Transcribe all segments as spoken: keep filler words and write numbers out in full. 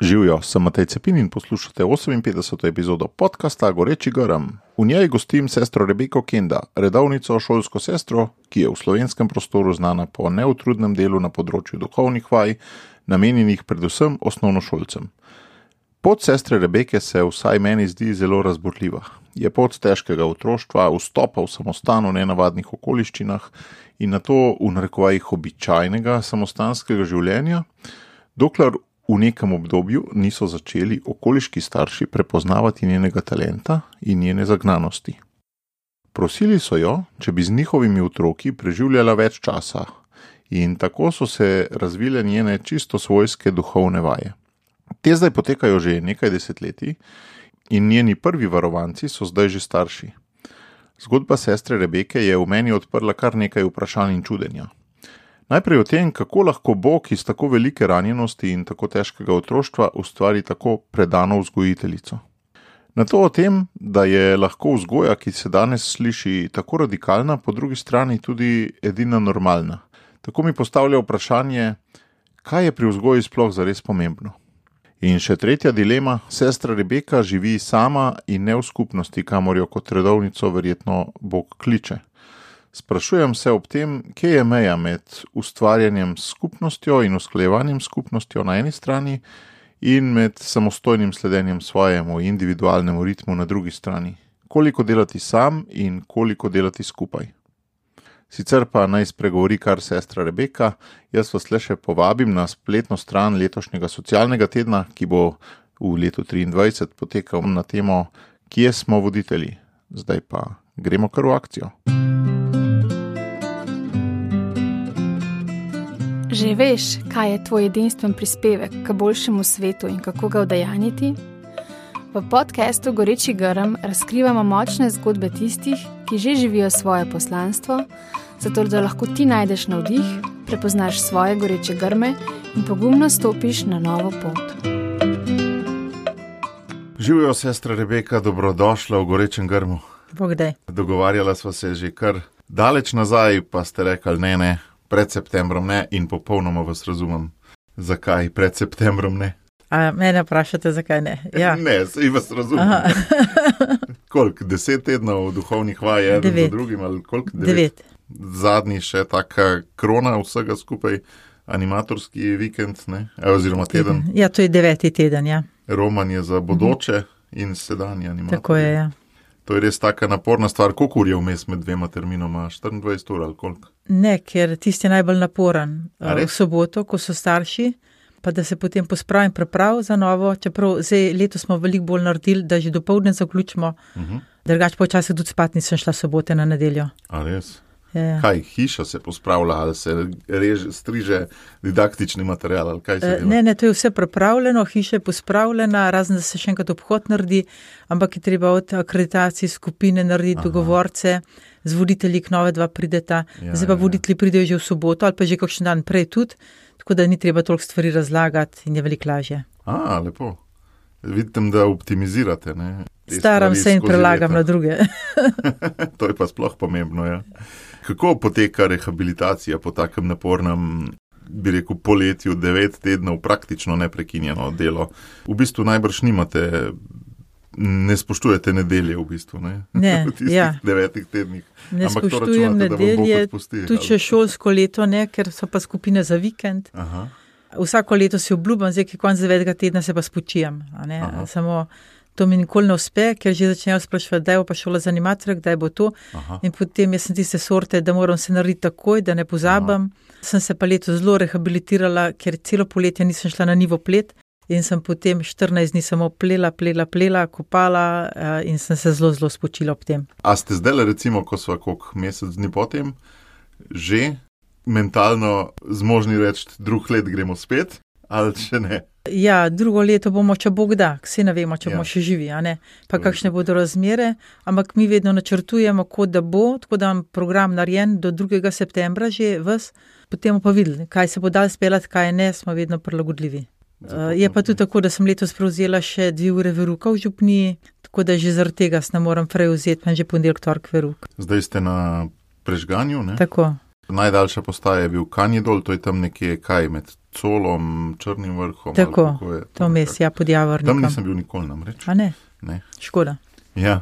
Živijo, sem Matej Cepin in poslušate oseminpetdeseto epizodo podcasta Goreči grm. V njej gostim sestro Rebeko Kenda, redovnico šolsko sestro, ki je v slovenskem prostoru znana po neutrudnem delu na področju duhovnih vaj, namenjenih predvsem osnovnošolcem. Pot sestre Rebeke se vsaj meni zdi zelo razburljiva. Je pot težkega otroštva, vstopa v samostan v nenavadnih okoliščinah in nato v narekovajih običajnega samostanskega življenja, dokler v nekem obdobju niso začeli okoliški starši prepoznavati njenega talenta in njene zagnanosti. Prosili so jo, če bi z njihovimi otroki preživljala več časa in tako so se razvile njene čisto svojske duhovne vaje. Te zdaj potekajo že nekaj desetletij in njeni prvi varovanci so zdaj že starši. Zgodba sestre Rebeke je v meni odprla kar nekaj vprašanj in čudenja. Najprej o tem, kako lahko Bog iz tako velike ranjenosti in tako težkega otroštva ustvari tako predano vzgojiteljico. Nato o tem, da je lahko vzgoja, ki se danes sliši tako radikalna, po drugi strani tudi edina normalna. Tako mi postavlja vprašanje, kaj je pri vzgoji sploh zares pomembno. In še tretja dilema, sestra Rebeka živi sama in ne v skupnosti, kamor jo kot redovnico verjetno Bog kliče. Sprašujem se ob tem, kje je meja med ustvarjanjem s skupnostjo in usklajevanjem s skupnostjo na eni strani in med samostojnim sledenjem svojemu individualnemu ritmu na drugi strani. Koliko delati sam in koliko delati skupaj. Sicer pa naj spregovori kar sestra Rebeka, jaz vas le še povabim na spletno stran letošnjega socialnega tedna, ki bo v letu triindvajset potekal na temo Kje smo voditelji? Zdaj pa gremo kar v akcijo. Že veš, kaj je tvoj edinstven prispevek k boljšemu svetu in kako ga udejanjiti? V podcastu Goreči grm razkrivamo močne zgodbe tistih, ki že živijo svoje poslanstvo, zato da lahko ti najdeš navdih, prepoznaš svoje goreče grme in pogumno stopiš na novo pot. Živijo, sestra Rebeka, dobrodošla v Gorečem grmu. Bogdaj. Dogovarjala sva se že kar daleč nazaj, pa ste rekli ne, ne. Pred septembrom ne in popolnoma vas razumem. Zakaj pred septembrom ne? A mene vprašate, zakaj ne? Ja. Ne, saj vas razumem. Koliko? Deset tednov duhovnih vaj, eden Devet. za drugim ali koliko? Devet. Devet. Zadnji še taka krona vsega skupaj, animatorski vikend, ne? Oziroma teden. Ja, to je deveti teden, ja. Roman je za bodoče in sedanji animator. Tako je, ja. To je res taka naporna stvar. Koliko ur je vmes med dvema terminoma? štiriindvajset ur ali koliko? Ne, ker tisti je najbolj naporen. A V res? soboto, ko so starši, pa da se potem pospravim preprav za novo, čeprav zdaj letos smo veliko bolj naredili, da že dopoldne zaključimo, Uh-huh. drugače pa včasih tudi spat nisem šla sobote na nedeljo. A res? Ja. Kaj, hiša se pospravlja ali se reže, striže didaktični material ali kaj se E, dela? Ne, ne, to je vse pripravljeno, hiša je pospravljena, razen da se še enkrat obhod naredi, ampak je treba od akreditacij skupine narediti Aha. dogovorce, z voditelji k nove dva prideta, Ja, zdaj pa ja, ja. voditelji pridejo že v soboto ali pa že kakšen dan prej tudi, tako da ni treba toliko stvari razlagati in je veliko lažje. A, lepo. Vidim, da optimizirate, ne? Te Staram stvari se in skozi prelagam leta. na druge. To je pa sploh pomembno, ja. Kako poteka rehabilitacija po takem napornem, bi rekel, poletju, devet tednov, praktično neprekinjeno delo? V bistvu najbrž nimate, ne spoštujete nedelje v bistvu, ne? Ne, v tistih ja. devetih tednih. Ne Ampak to spoštujem računate, da vas Bog nedelje, odpusti, tudi ali? še šolsko leto ne, ker so pa skupine za vikend. Aha, Vsako leto si obljubim, zdaj, ki je konc devetega tedna, se pa spočijem. A ne? Aha. Samo to mi nikoli ne uspe, ker že začnejo spraševati, kdaj bo pa šola za animatorja, kdaj bo to. aha. In potem jaz sem tiste sorte, da moram se narediti takoj, da ne pozabim. Sem se pa leto zelo rehabilitirala, ker celo poletje nisem šla na nivo plet in sem potem štirinajst dni samo plela, plela, plela, kopala eh, in sem se zelo, zelo spočila ob tem. A ste zdaj, recimo, ko sva koliko mesec dni potem, že mentalno zmožni reči, drug let gremo spet, ali še ne? Ja, drugo leto bomo, če Bog da, vsi ne vemo, če Ja. bomo še živi, a ne, pa To je kakšne bodo razmere, ampak mi vedno načrtujemo, kot da bo, tako da imam program narejen do drugega septembra že ves, potem bomo pa videli, kaj se bo dal speljati, kaj ne, smo vedno prilagodljivi. Uh, je pa tudi tako, da sem letos prevzela še dve ure veruka v župniji, tako da že zaradi tega se ne moram prej vzeti, pa že ponedeljek, torek veruk. Zdaj ste na prežganju, ne? Tako. Najdaljša postaja je bil Kanjidol, to je tam nekje kaj med Colom, Črnim vrhom. Tako, to mes, ja, pod Javornikom. Tam nisem bil nikoli namreč. A ne? Ne. Škoda. Ja.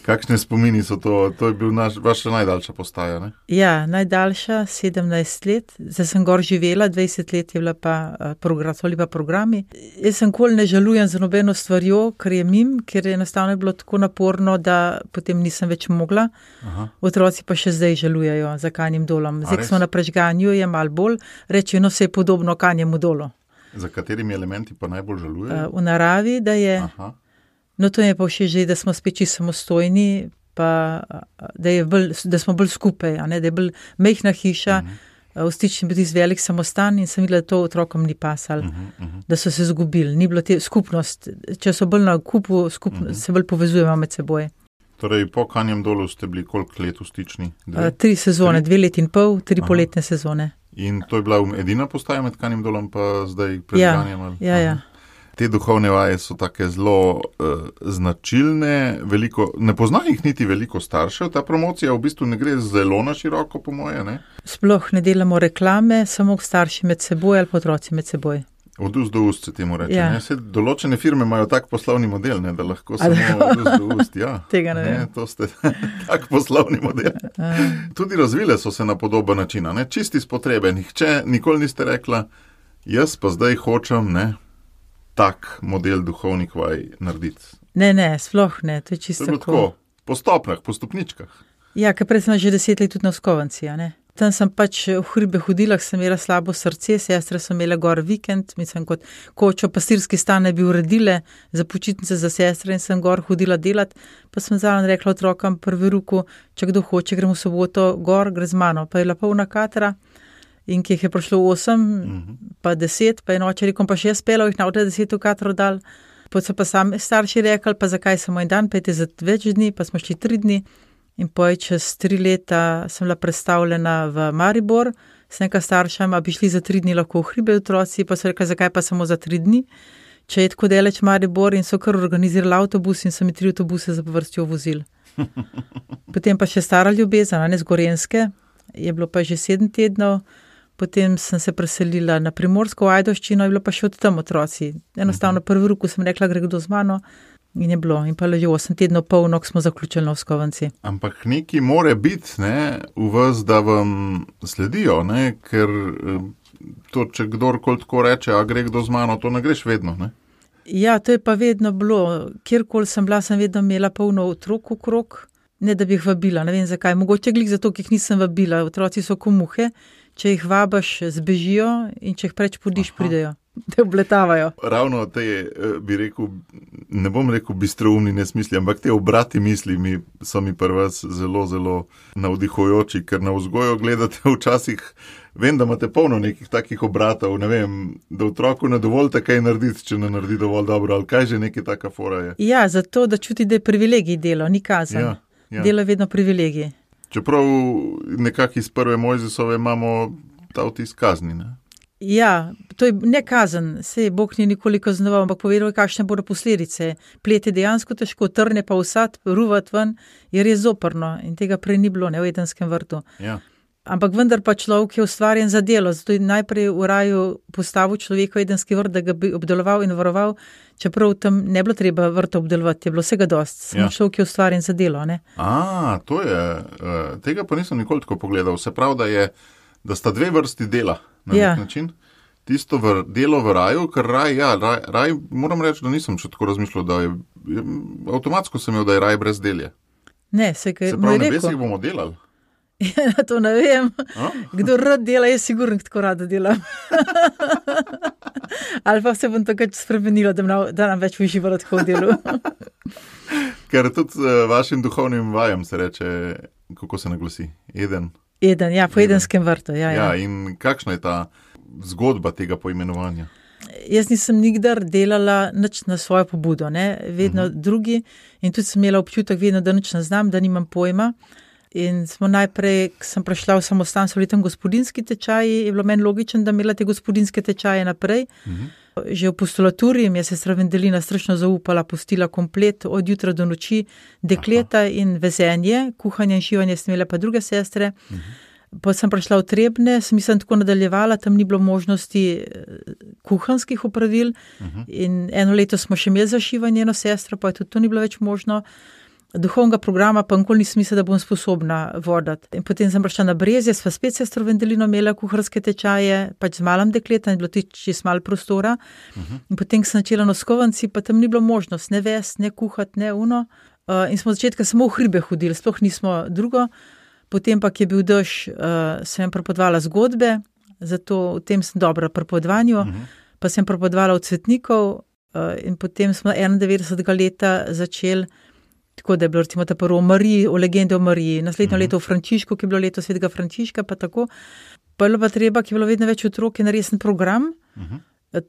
Kakšne spomini so to? To je bil naš, vaša najdaljša postaja, ne? Ja, najdaljša, sedemnajst let. Zdaj sem gor živela, dvajset let je bila pa, program, pa programi. Jaz sem kol ne žalujem za nobeno stvarjo, ker je mim, ker je enostavno bilo tako naporno, da potem nisem več mogla. Aha. Otroci pa še zdaj žalujejo za Kanjim dolom. Zdaj, ko smo na prežganju, je malo bolj, rečejo, no, se je podobno Kanjemu dolu. Za katerimi elementi pa najbolj žalujejo? V naravi, da je... Aha. No, to je pa všeč že, da smo spet čisto samostojni, pa da, je bolj, da smo bolj skupaj, a ne, da je bolj mehna hiša, uh-huh. v stični bil tisti velik samostan in sem videla, da to otrokom ni pasal, uh-huh, uh-huh. da so se zgubili, ni bilo te skupnost, če so bolj na kupu, skupno, uh-huh. se bolj povezujemo med seboj. Torej, po Kanjem dolu ste bili koliko let v stični? Uh, tri sezone, tri? dve leti in pol, tri Aha. poletne sezone. In to je bila edina postaja med Kanjem dolom, pa zdaj prežganjem? Ja, ja, ja. Te duhovne vaje so take zelo uh, značilne, veliko, ne pozna jih niti veliko staršev, ta promocija v bistvu ne gre zelo na široko, po moje, ne? Sploh ne delamo reklame, samo starši med seboj ali otroci med seboj. Od ust do ust se temu reče, ja. ne? Se določene firme imajo tak poslovni model, ne? Da lahko samo od ust do ust, ja. Tega ne, ne vem. To ste tak poslovni model. Tudi razvile so se na podoben način, ne? Čisti iz potrebe, nihče, nikoli niste rekla, jaz pa zdaj hočem, ne? Tak model duhovnih vaj narediti. Ne, ne, sploh ne, to je čisto to je tako. Po stopnjah, po stopničkah. Ja, ker prej sem že deset let tudi na Skovanci, a ne. Tam sem pač v hribe hodila, sem imela slabo srce, sestre so imele gor vikend, mislim kot kočo, pastirski stan bi uredile za počitnice za sestre in sem gor hodila delat, pa sem zraven rekla otrokom prvi ruku, če kdo hoče, gremo v soboto gor, gre z mano, pa je bila polna katra. In ki jih je prišlo osem, uh-huh. pa deset, pa je noče rekom, pa še jaz pela, jih navde deset v katero dal. Potem so pa sami starši rekli, pa zakaj samo en dan, pa je za več dni, pa smo šli tri dni. In potem čez tri leta sem bila predstavljena v Maribor, sem nekaj staršam, a bi šli za tri dni lahko v hribe otroci, pa so rekli, zakaj pa samo za tri dni. Če je tako daleč Maribor in so kar organizirali avtobus in so mi tri avtobuse za povrstjo vozili. Potem pa še stara ljubezen, ne z Gorenjske, je bilo pa že sedem tednov. Potem sem se preselila na Primorsko v Ajdovščino in bilo pa še od tam otroci. Enostavno prvi ruku sem rekla, gre kdo z mano in je bilo. In pa že osem tednov polno, ko smo zaključili na Skovanci. Ampak neki more biti, ne, v vas, da vam sledijo, ne, ker to, če kdorkoli tako reče, a gre kdo z mano, to ne greš vedno, ne. Ja, to je pa vedno bilo. Kjerkoli sem bila, sem vedno imela polno otrok okrog, ne da bi jih vabila, ne vem zakaj. Mogoče glik zato, ki jih nisem vabila. Otroci so ko muhe. Če jih vabaš, zbežijo in če jih preč podiš, Aha. pridejo. Te obletavajo. Ravno te, bi rekel, ne bom rekel bistroumni nesmisli, ampak te obrati misli mi, so mi pri vas zelo, zelo navdihujoči, ker na vzgojo gledate včasih, vem, da imate polno nekih takih obratov, ne vem, da otroku ne dovolite kaj narediti, če ne naredi dovolj dobro, ali kaj že nekaj taka fora je. Ja, zato, da čuti, da je privilegij delo, ni kazen. Ja, ja. Delo je vedno privilegij. Čeprav nekako iz prve Mojzesove imamo ta vtis kazni, ne? Ja, to je ne kazen, sej Bog ni nikoli kaznoval, ampak povedal, kakšne bodo posledice. Plet je dejansko težko, trne pa vsad, ruvat ven, jer je zoprno in tega prej ni bilo, ne, v Edenskem vrtu. Ja. Ampak vendar pa človek je ustvarjen za delo, zato je najprej v raju postavil človeka v Edenski vrt, da ga bi obdeloval in varoval, čeprav tam ne bilo treba vrta obdelovati, je bilo vsega dost, samo ja. Človek je ustvarjen za delo, ne. A, to je, tega pa nisem nikoli tako pogledal, se pravi, da je, da sta dve vrsti dela na ja. nek način. Tisto v, delo v raju, ker raj, ja, raj, raj, moram reči, da nisem še tako razmišljal, da je, avtomatsko sem imel, da je raj brez delje. Ne, se kaj, se pravi, na nebesih bomo delali. Ja, to ne vem. A? Kdo rad dela, je sigurno tako rada delam. Ali pa se bom takrat spremenila, da nam, da nam več uživala tako v delu. Ker tudi uh, vašim duhovnim vajam se reče, kako se naglasi? Eden. Eden, ja, po Eden. Edenskem vrtu. Ja, ja. Ja, in kakšna je ta zgodba tega poimenovanja? Jaz nisem nikdar delala nič na svojo pobudo, ne? Vedno uh-huh. drugi in tudi sem imela občutek vedno, da nič ne znam, da nimam pojma. In smo najprej, ko sem prišla v samostan, so bili tam gospodinski tečaji, je bilo meni logično, da imela te gospodinske tečaje naprej. Uh-huh. Že v postulaturi mi je sestra Vendelina strašno zaupala, pustila komplet od jutra do noči, dekleta Aha. in vezenje, kuhanje in šivanje sem imela pa druge sestre. Uh-huh. Pa sem prišla v Trebne, sem mislim tako nadaljevala, tam ni bilo možnosti kuhanskih opravil uh-huh. in eno leto smo še imeli zašivanje eno sestro, pa je tudi to ni bilo več možno. Duhovnega programa pa nikoli nisem mislila, da bom sposobna voditi. In potem sem prišla na Brezje, sva spet sestro Vendelino imela kuharske tečaje, pač z malim dekletom, je bilo tudi čist malo prostora. Uh-huh. In potem sem začela na skovanci, pa tam ni bilo možnost, ne vest, ne kuhati, ne uno. Uh, in smo od začetka samo v hribe hodili, sploh nismo drugo. Potem pa, ki je bil dež, uh, sem prepovedala zgodbe, zato v tem sem dobra pri prepovedovanju, uh-huh. pa sem prepovedovala od Cvetnikov uh, in potem smo enaindevetdesetega leta začeli. Tako da je bilo recimo ta prvo o Mariji, o legende o Mariji, naslednjo uh-huh. leto o Frančišku, ki je bilo leto svetega Frančiška, pa tako. Pa je bilo pa treba, ki je bilo vedno več otrok, je naresen program. Uh-huh.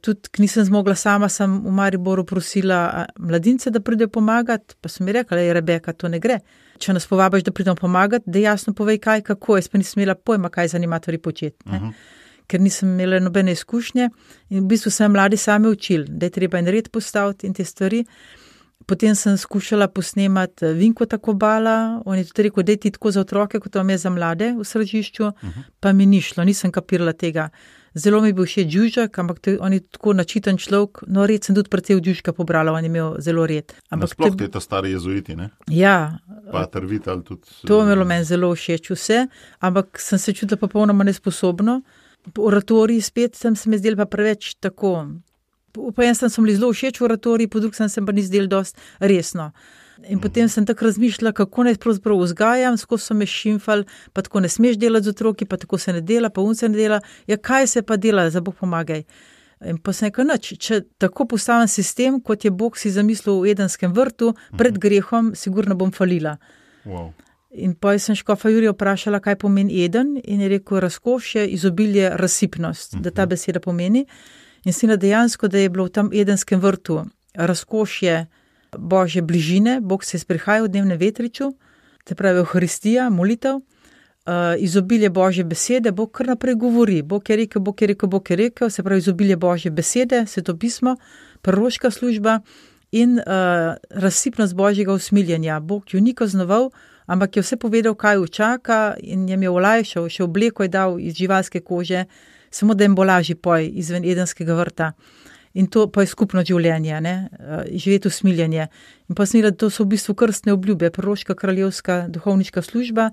Tudi, ki nisem zmogla sama, sem v Mariboru prosila mladince, da pridejo pomagati, pa sem mi rekla, je Rebeka, to ne gre. Če nas povabiš, da pridemo pomagati, da jasno povej kaj, kako, jaz pa nisem imela pojma, kaj za animatorji početi. Uh-huh. Ker nisem imela nobene izkušnje in v bistvu sem mladi sami učili, da je treba en red postaviti in te stvari. Potem sem skušala posnemati Vinko Takobala, on je tudi rekel, da je ti tako za otroke, kot vam je za mlade v središču, uh-huh. pa mi ni šlo, nisem kapirala tega. Zelo mi je bil všeč Đužak, ampak to, on je tako načiten človek, no red sem tudi precej v Đužka pobrala, on je imel zelo red. Nasploh te ta stari jezuiti, ne? Ja. Pater Vital tudi. To je imelo meni zelo všeč vse, ampak sem se čutila popolnoma nesposobno. Po oratoriji spet sem se mi zdela pa preveč tako. Po en sem bili zelo všeč v oratoriji, po drug sem se pa ni zdel dost resno. In potem sem tako razmišljala, kako naj pravzaprav vzgajam, skozi so me šimfali, pa tako ne smeš delati z otroki, pa tako se ne dela, pa un se ne dela. Ja, kaj se pa dela, za Bog pomagaj. In pa sem rekla, nič, če tako postavim sistem, kot je Bog si zamislil v Edenskem vrtu, pred grehom, sigurno bom falila. Wow. In pa sem škofa Jurija vprašala, kaj pomeni Eden, in je rekel, razkošje, izobilje, razsipnost, uh-huh. da ta beseda pomeni. In si na dejansko, da je bilo v tam Edenskem vrtu razkošje Božje bližine, Bog se je sprehajal v dnevnem vetriču, te pravi Euharistija, molitev, uh, izobilje Božje besede, Bog kar naprej govori, Bog je rekel, Bog je rekel, Bog je rekel, se pravi izobilje Božje besede, svetopismo, proroška služba in uh, razsipnost Božjega usmiljenja. Bog ju ni kaznoval, ampak je vse povedal, kaj jo čaka in jim je olajšal, še obleko je dal iz živalske kože, samo da jim bo lažji poj izven Edenskega vrta. In to pa je skupno življenje, ne? Živeti usmiljenje. In pa sem videla, da to so v bistvu krstne obljube, proroška, kraljevska, duhovniška služba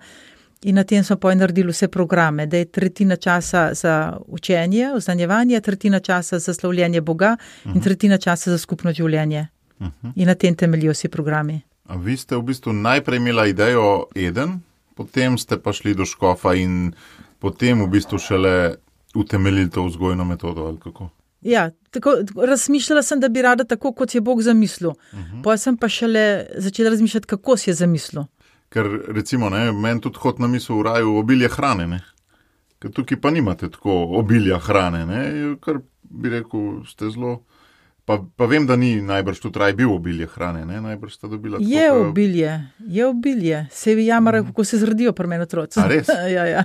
in na tem smo pa naredili vse programe, da je tretjina časa za učenje, oznanjevanje, tretjina časa za slavljenje Boga uh-huh. in tretjina časa za skupno življenje. Uh-huh. In na tem temeljijo vsi programi. A vi ste v bistvu najprej imela idejo Eden, potem ste pa šli do škofa in potem v bistvu šele utemeljili to vzgojno metodo, ali kako? Ja, tako, razmišljala sem, da bi rada tako, kot je Bog zamislil. Uh-huh. Pa sem pa šele začela razmišljati, kako si je zamislil. Ker recimo, ne, meni tudi hod na misel v raju obilje hrane, ne. Ker tukaj pa nimate tako obilja hrane, ne, kar bi rekel, ste zelo... Pa, pa vem, da ni najbrž tudi raj bil obilje hrane, ne, najbrž sta dobila... Tako, je obilje, je obilje. Se vi jamara, uh-huh. kako se zredijo pri meni otroci. A res? ja, ja.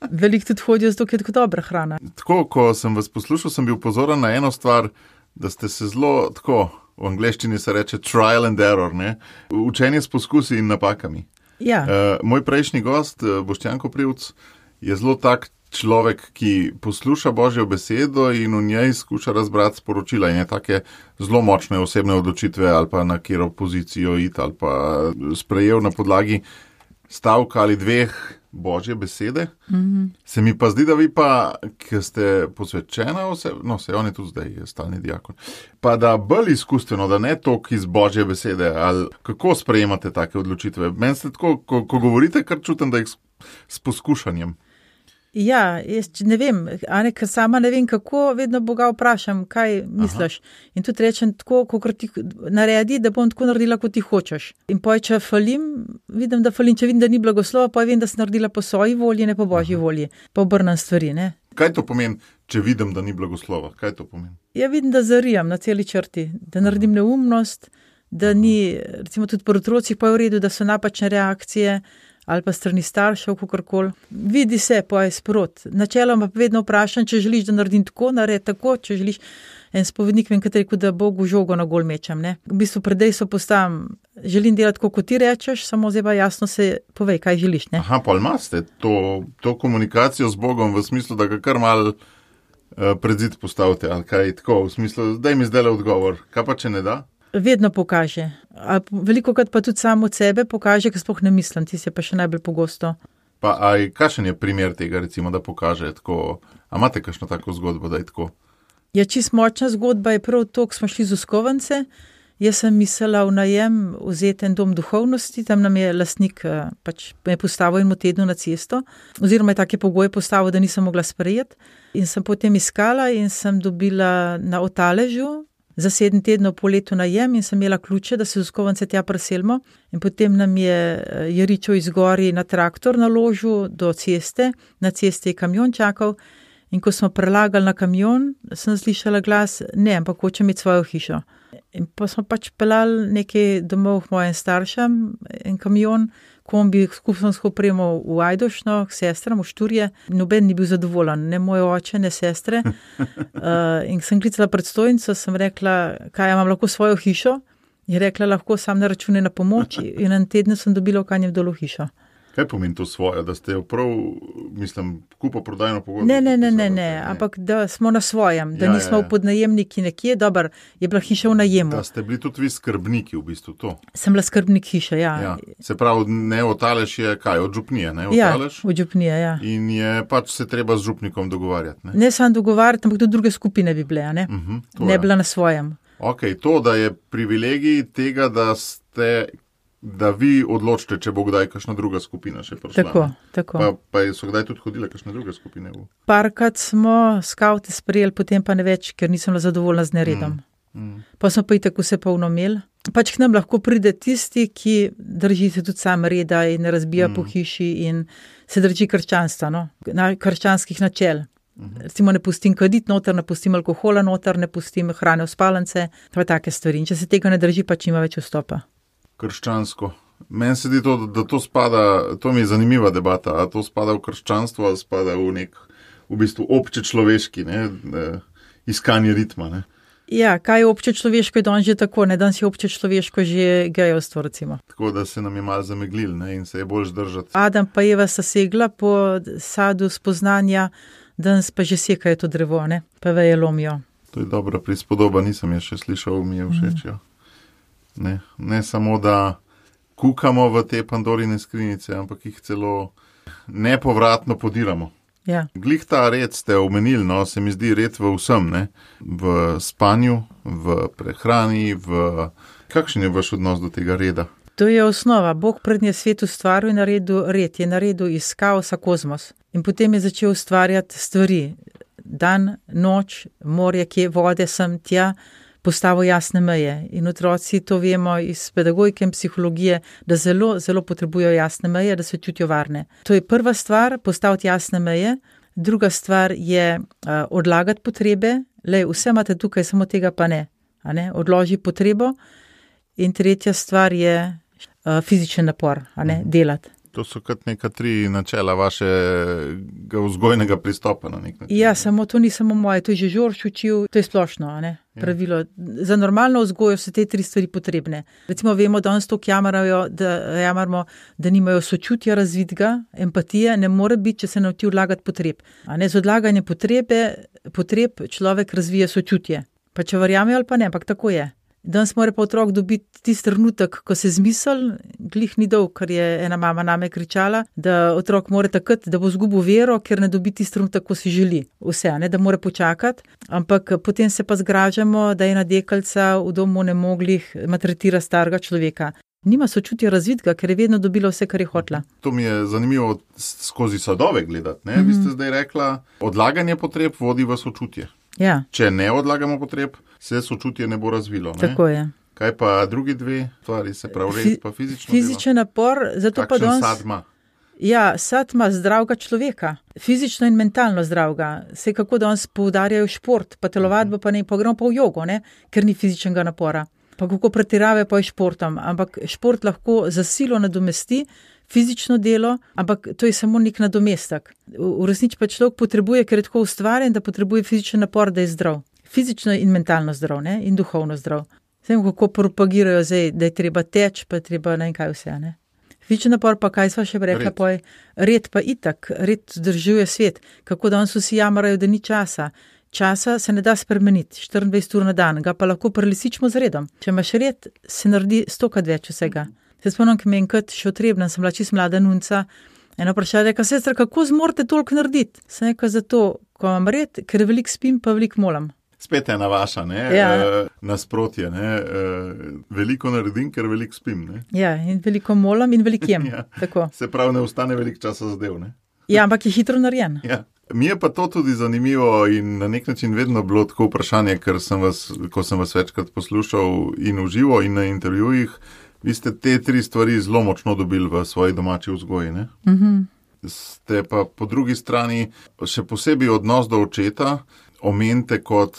Veliko tudi hodijo, zato je tako dobra hrana. Tako, ko sem vas poslušal, sem bil pozoren na eno stvar, da ste se zelo, tako, v angleščini se reče trial and error, ne, učenje s poskusi in napakami. Ja. Uh, moj prejšnji gost, Boštjan Koprivc, je zelo tak človek, ki posluša Božjo besedo in v njej skuša razbrati sporočila in je take zelo močne osebne odločitve ali pa na kjero pozicijo iti ali pa sprejel na podlagi stavka ali dveh Božje besede. Mm-hmm. Se mi pa zdi, da vi pa, ki ste posvečena oseba, no se on je tudi zdaj stalni diakon, pa da bolj izkustveno, da ne toliko iz Božje besede, ali kako sprejemate take odločitve? Meni ste tako, ko, ko govorite, kar čutim, da jih s, s poskušanjem. Ja, jaz ne vem, Ane, ker sama ne vem, kako, vedno Boga vprašam, kaj misliš. Aha. In tudi rečem tako, kot ti naredi, da bom tako naredila, kot ti hočeš. In poj, če falim, vidim, da falim, če vidim, da ni blagoslova, pa vem, da sem naredila po svoji volji, ne po Božji Aha. volji. Pa obrnem stvari, ne. Kaj to pomeni, če vidim, da ni blagoslova? Kaj to pomeni? Ja, vidim, da zarijam na celi črti, da naredim neumnost, da Aha. ni, recimo tudi pri otrocih pa je v redu, da so napačne reakcije, ali pa strani staršev, kakorkoli. Vidi se, pa je sprot. Načeloma pa vedno vprašam, če želiš, da naredim tako, naredi tako, če želiš. En spovednik vem, kateri, da Bogu žogo na gol mečem, ne. V bistvu predej so postavim želim delati, kot ti rečeš, samo zdaj pa jasno se povej, kaj želiš. Ne? Aha, pa imate to, to komunikacijo z Bogom v smislu, da ga kar mal uh, pred zid postavite, ali kaj tako, v smislu, daj mi zdaj le odgovor, kaj pa če ne da? Vedno pokaže. A veliko krat pa tudi samo od sebe pokaže, ker sploh ne mislim, ti se pa še najbolj pogosto. Pa aj, kakšen je primer tega, recimo, da pokaže tako, a imate kakšno tako zgodbo, da je tako? Ja, čist močna zgodba je prav to, ko smo šli z Uskovance. Jaz sem mislila v najem vzeti en dom duhovnosti, tam nam je lastnik pač me postavil eno tedno na cesto, oziroma je take pogoje postavil, da nisem mogla sprejeti. In sem potem iskala in sem dobila na Otaležu za sedem tednov po letu najem in sem imela ključe, da se z Uskovance tja preselimo. In potem nam je Jeričo izgori na traktor naložil do ceste, na cesti je kamion čakal. In ko smo prelagali na kamion, sem slišala glas, ne, ampak hočem imeti svojo hišo. In pa smo pač pelali nekaj domov k mojim staršem, en kamion, kombi skupno s opremo v Ajdošno, k sestram, v Šturje. Noben ni bil zadovoljen, ne moj oče, ne sestre. Uh, in sem klicala predstojnico, sem rekla, kaj imam lahko svojo hišo. Je rekla, lahko sam ne račune na pomoč in en teden sem dobila v Kanjem Dolu hišo. Kaj pomeni to svoje, da ste jo prav, mislim, kupo prodajno pogodbo? Ne, ne, ne, ne, ne, ampak da smo na svojem, da ja, nismo ja, ja. v podnajemniki nekje, dober, je bila hiša v najemu. Da ste bili tudi vi skrbniki v bistvu to? Sem bila skrbnik hiše, ja. ja. Se pravi, ne Otalež je kaj, od župnije, ne Otalež? Ja, od župnije, ja. In je pač se treba z župnikom dogovarjati, ne? Ne sam dogovarjati, ampak tudi druge skupine bi bile, ne? Uh-huh, ne bila na svojem. Ok, to, da je privilegij tega, da ste... da vi odločite, če bo kdaj kakšna druga skupina še prišla. Tako, tako. Pa, pa so kdaj tudi hodile kakšne druge skupine? V... Parkrat smo skavte sprejeli, potem pa ne več, ker nisem bila zadovoljna z neredom. Mm, mm. Pa smo pa itak vse polno imeli. Pač k nam lahko pride tisti, ki drži se tudi sam reda in ne razbija mm. po hiši in se drži krščanstva, no? Na krščanskih načel. Mm-hmm. Recimo ne pustim kaditi noter, ne pustim alkohola noter, ne pustim hrane v spalnice, pa take stvari. In če se tega ne drži, pač nima več vstopa. Krščansko. Meni se zdi to, da to spada, to mi je zanimiva debata, a to spada v krščanstvo, ali spada v nek, v bistvu obče človeški, ne, iskanje ritma, ne. Ja, kaj je obče človeško, je danes že tako, ne, danes je obče človeško že gejevstvo, recimo. Tako da se nam je malo zameglil, ne, in se je bolj zdržati. Adam pa Eva sta segla po sadu spoznanja, danes pa že sekajo to drevo, ne, pa veje lomijo. To je dobra prispodoba, nisem je še slišal, mi je všeč, jo. Ne, ne samo, da kukamo v te Pandorine skrinjice, ampak jih celo nepovratno podiramo. Ja. Glih ta red ste omenili, no, se mi zdi red v vsem, ne, v spanju, v prehrani, v... Kakšen je vaš odnos do tega reda? To je osnova. Bog prednje svet ustvaril in naredil red, je naredil iz kaosa kozmos. In potem je začel ustvarjati stvari. Dan, noč, morje, kje, vode, sem, tja, postavil jasne meje. In otroci to vemo iz pedagogike in psihologije, da zelo, zelo potrebujejo jasne meje, da se čutijo varne. To je prva stvar, postaviti jasne meje. Druga stvar je uh, odlagati potrebe. Lej, vse imate tukaj, samo tega pa ne. A ne? Odloži potrebo. In tretja stvar je uh, fizičen napor, a ne, delati. To so kot neka tri načela vašega vzgojnega pristopa na nek način. Ja, samo to ni samo moje, to je že Žorž učil, to je splošno, a ne, pravilo. Za normalno vzgojo so te tri stvari potrebne. Recimo vemo, da danes toliko jamarajo, da jamarmo, da nimajo sočutja razvidga, empatije, ne more biti, če se nauči odlagati potreb. A ne, z odlaganjem potrebe, potreb človek razvije sočutje. Pa če verjamejo ali pa ne, ampak tako je. Danes mora pa otrok dobiti tisti trenutek, ko se zmisel, glih ni dolg, ker je ena mama name kričala, da otrok mora takrat, da bo zgubil vero, ker ne dobi tisti trenutek, ko si želi. Vse, ne, da mora počakati, ampak potem se pa zgražamo, da je ena deklica v domu nemoglih maltretira starega človeka. Nima sočutja razvidga, ker je vedno dobila vse, kar je hotela. To mi je zanimivo skozi sadove gledati, ne? Mm-hmm. Vi ste zdaj rekla, odlaganje potreb vodi v sočutje. Ja. Če ne odlagamo potreb, se sočutje ne bo razvilo. Ne? Tako je. Kaj pa drugi dve stvari, se pravi red, pa fizično Fizičen delo? napor, zato Kakšen pa danes... sad ima? Ja, sad ima zdravega človeka, fizično in mentalno zdravega. Se kako danes poudarjajo šport, pa telovadbo, pa ne, pa gremo pa v jogo, ne, ker ni fizičnega napora. Pa kako pretirave pa je športom, ampak šport lahko za silo nadomesti fizično delo, ampak to je samo nek nadomestek. V resnici pa človek potrebuje, ker je tako ustvarjen, da potrebuje fizičen napor, da je zdrav. Fizično in mentalno zdrav, ne, in duhovno zdrav. Vem, kako propagirajo zdaj, da je treba teč, pa je treba ne vem kaj vse, ne. Večji napor pa, kaj sva še rekla, Red. pa je red pa itak, red zdržuje svet. Kako danes vsi jamarajo, da ni časa. Časa se ne da spremeniti, štiriindvajset ur na dan, ga pa lahko prelisičimo z redom. Če imaš red, se naredi stokrat več vsega. Se spomnim, ki me enkrat še otrebna, sem bila čisto mlada nunca, eno vprašanje, reka, sestra, kako zmorete toliko narediti? Sem rekla, zato, ko imam red, ker veliko spim, pa veliko molam. Spet ena vaša, ne, Ja. e, nasprotje, ne, e, veliko naredim, ker veliko spim, ne. Ja, in veliko molam in veliko jem. Ja. Tako. Se pravi, ne ostane veliko časa zadev, ne. Ja, ampak je hitro narejen. Ja. Mi je pa to tudi zanimivo in na nek način vedno bilo tako vprašanje, ker sem vas, ko sem vas večkrat poslušal in v živo in na intervjujih, vi ste te tri stvari zelo močno dobili v svoji domači vzgoji, ne? Mhm. Ste pa po drugi strani še posebej odnos do očeta omenite kot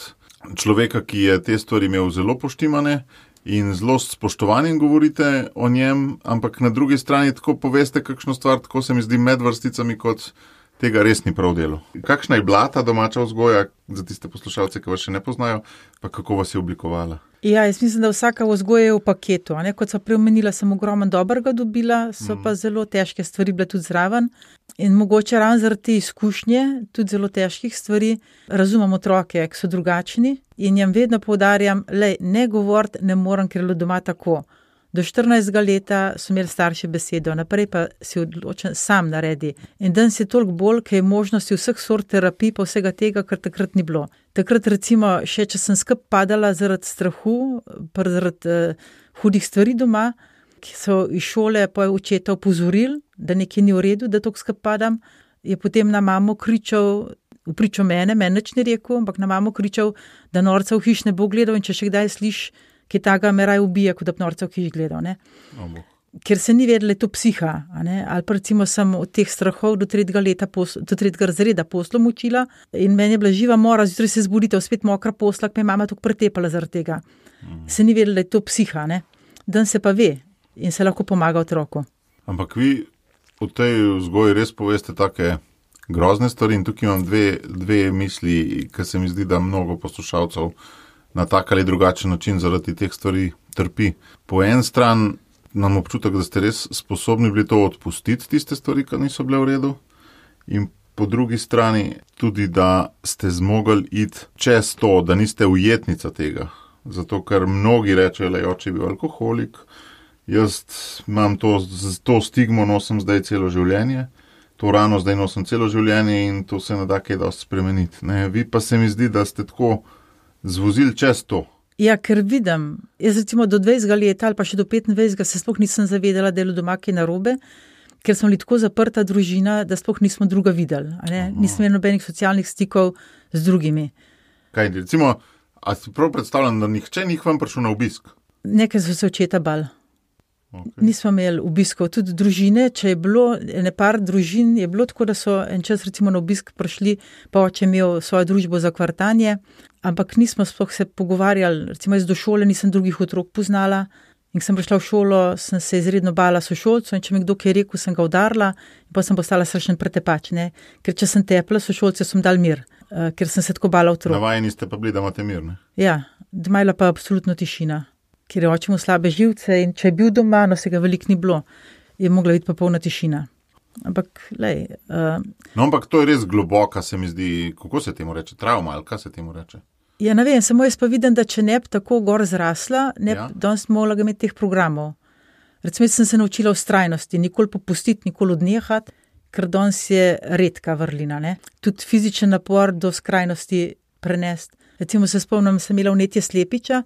človeka, ki je te stvari imel zelo poštimane in zelo s spoštovanjem govorite o njem, ampak na drugi strani tako poveste kakšno stvar, tako se mi zdi med vrsticami, kot tega res ni prav delo. Kakšna je bila ta domača vzgoja za tiste poslušalce, ki vas še ne poznajo, pa kako vas je oblikovala? Ja, jaz mislim, da vsaka vzgoja je v paketu. A ne? Kot so preomenila, sem ogromno dobrega dobila, so Mm. pa zelo težke stvari bile tudi zraven. In mogoče ravno zaradi te izkušnje, tudi zelo težkih stvari, razumem otroke, ki so drugačni in jim vedno poudarjam, lej, ne govoriti ne morem, ker je bilo doma tako. Do štirinajstega leta so imeli starši besedo, naprej pa si odločen sam naredi. In danes je toliko bolj, ker je možnosti vseh sort terapij pa vsega tega, kar takrat ni bilo. Takrat recimo, še če sem skup padala zaradi strahu, pa zaradi uh, hudih stvari doma, ki so iz šole pa očeta opozorili, da nekaj ni v redu, da toliko skup padam, je potem na mamo kričal, v pričo mene, meni nič ni rekel, ampak na mamo kričal, da norca v hiš ne bo gledal in če še kdaj sliš, ki taga me raj ubije, kot da bi norca v hiš gledal, ne. Oh, Ker se ni vedela, je to psiha, a ne? Ali pa recimo sem od teh strahov do tretjega leta, posl, do tretjega razreda poslom učila in meni je bila živa mora, zjutraj se zbudite, spet mokra posla, ki me je mama tukaj pretepala zaradi tega. mm. Se ni vedela, da je to psiha, ne. Dan se pa ve in se lahko pomaga otroku. Ampak vi v tej vzgoji res poveste take grozne stvari in tukaj imam dve, dve misli, ki se mi zdi, da mnogo poslušalcev na tak ali drugačen način zaradi teh stvari trpi. Po en stran nam občutek, da ste res sposobni bili to odpustiti, tiste stvari, ki niso bile v redu, in po drugi strani tudi, da ste zmogli iti čez to, da niste ujetnica tega. Zato, ker mnogi rečejo, da je oče bil alkoholik, jaz imam to, to stigmo, nosim zdaj celo življenje, to rano zdaj nosim celo življenje in to se ne da kaj dosti spremeniti. Ne? Vi pa se mi zdi, da ste tako zvozili čez to. Ja, ker vidim, jaz recimo do dvajsetega leta ali pa še do petindvajsetega se sploh nisem zavedala, da je bilo doma kaj narobe, ker smo bili tako zaprta družina, da sploh nismo druga videli. A ne? Nismo imeli nobenih socialnih stikov z drugimi. Kaj, recimo, a si prav predstavljam, da nihče ni k vam prišel na obisk? Nekaj so se očeta bal. Okay. Nismo imeli obiskov, tudi družine, če je bilo, ene par družin je bilo tako, da so en čas recimo na obisk prišli, pa oče imel svojo družbo za kvartanje, ampak nismo sploh se pogovarjali, recimo jaz do šole nisem drugih otrok poznala in sem prišla v šolo, sem se izredno bala sošolcev in če mi kdo kaj rekel, sem ga udarila in pa sem postala strašen pretepač, ne, ker če sem tepla, sošolce sem dal mir, uh, ker sem se tako bala otrok. Navajeni ste pa bili, da imate mir, ne? Ja, doma je bila pa absolutno tišina. Ker je oče mu slabe živce in če je bil doma, no se ga veliko ni bilo, je mogla biti pa polna tišina. Ampak, lej... Uh, no, ampak to je res globoka, se mi zdi, kako se temu reče, travma ali kaj se temu reče? Ja, ne vem, samo jaz pa vidim, da če ne bi tako gor zrasla, ne Ja. bi danes mogla imeti teh programov. Recimo, jaz sem se naučila vztrajnosti, nikoli popustiti, nikoli odnehati, ker danes je redka vrlina, ne. Tudi fizičen napor do skrajnosti prenesti. Recimo se spomnim, sem imela vnetje slepiča,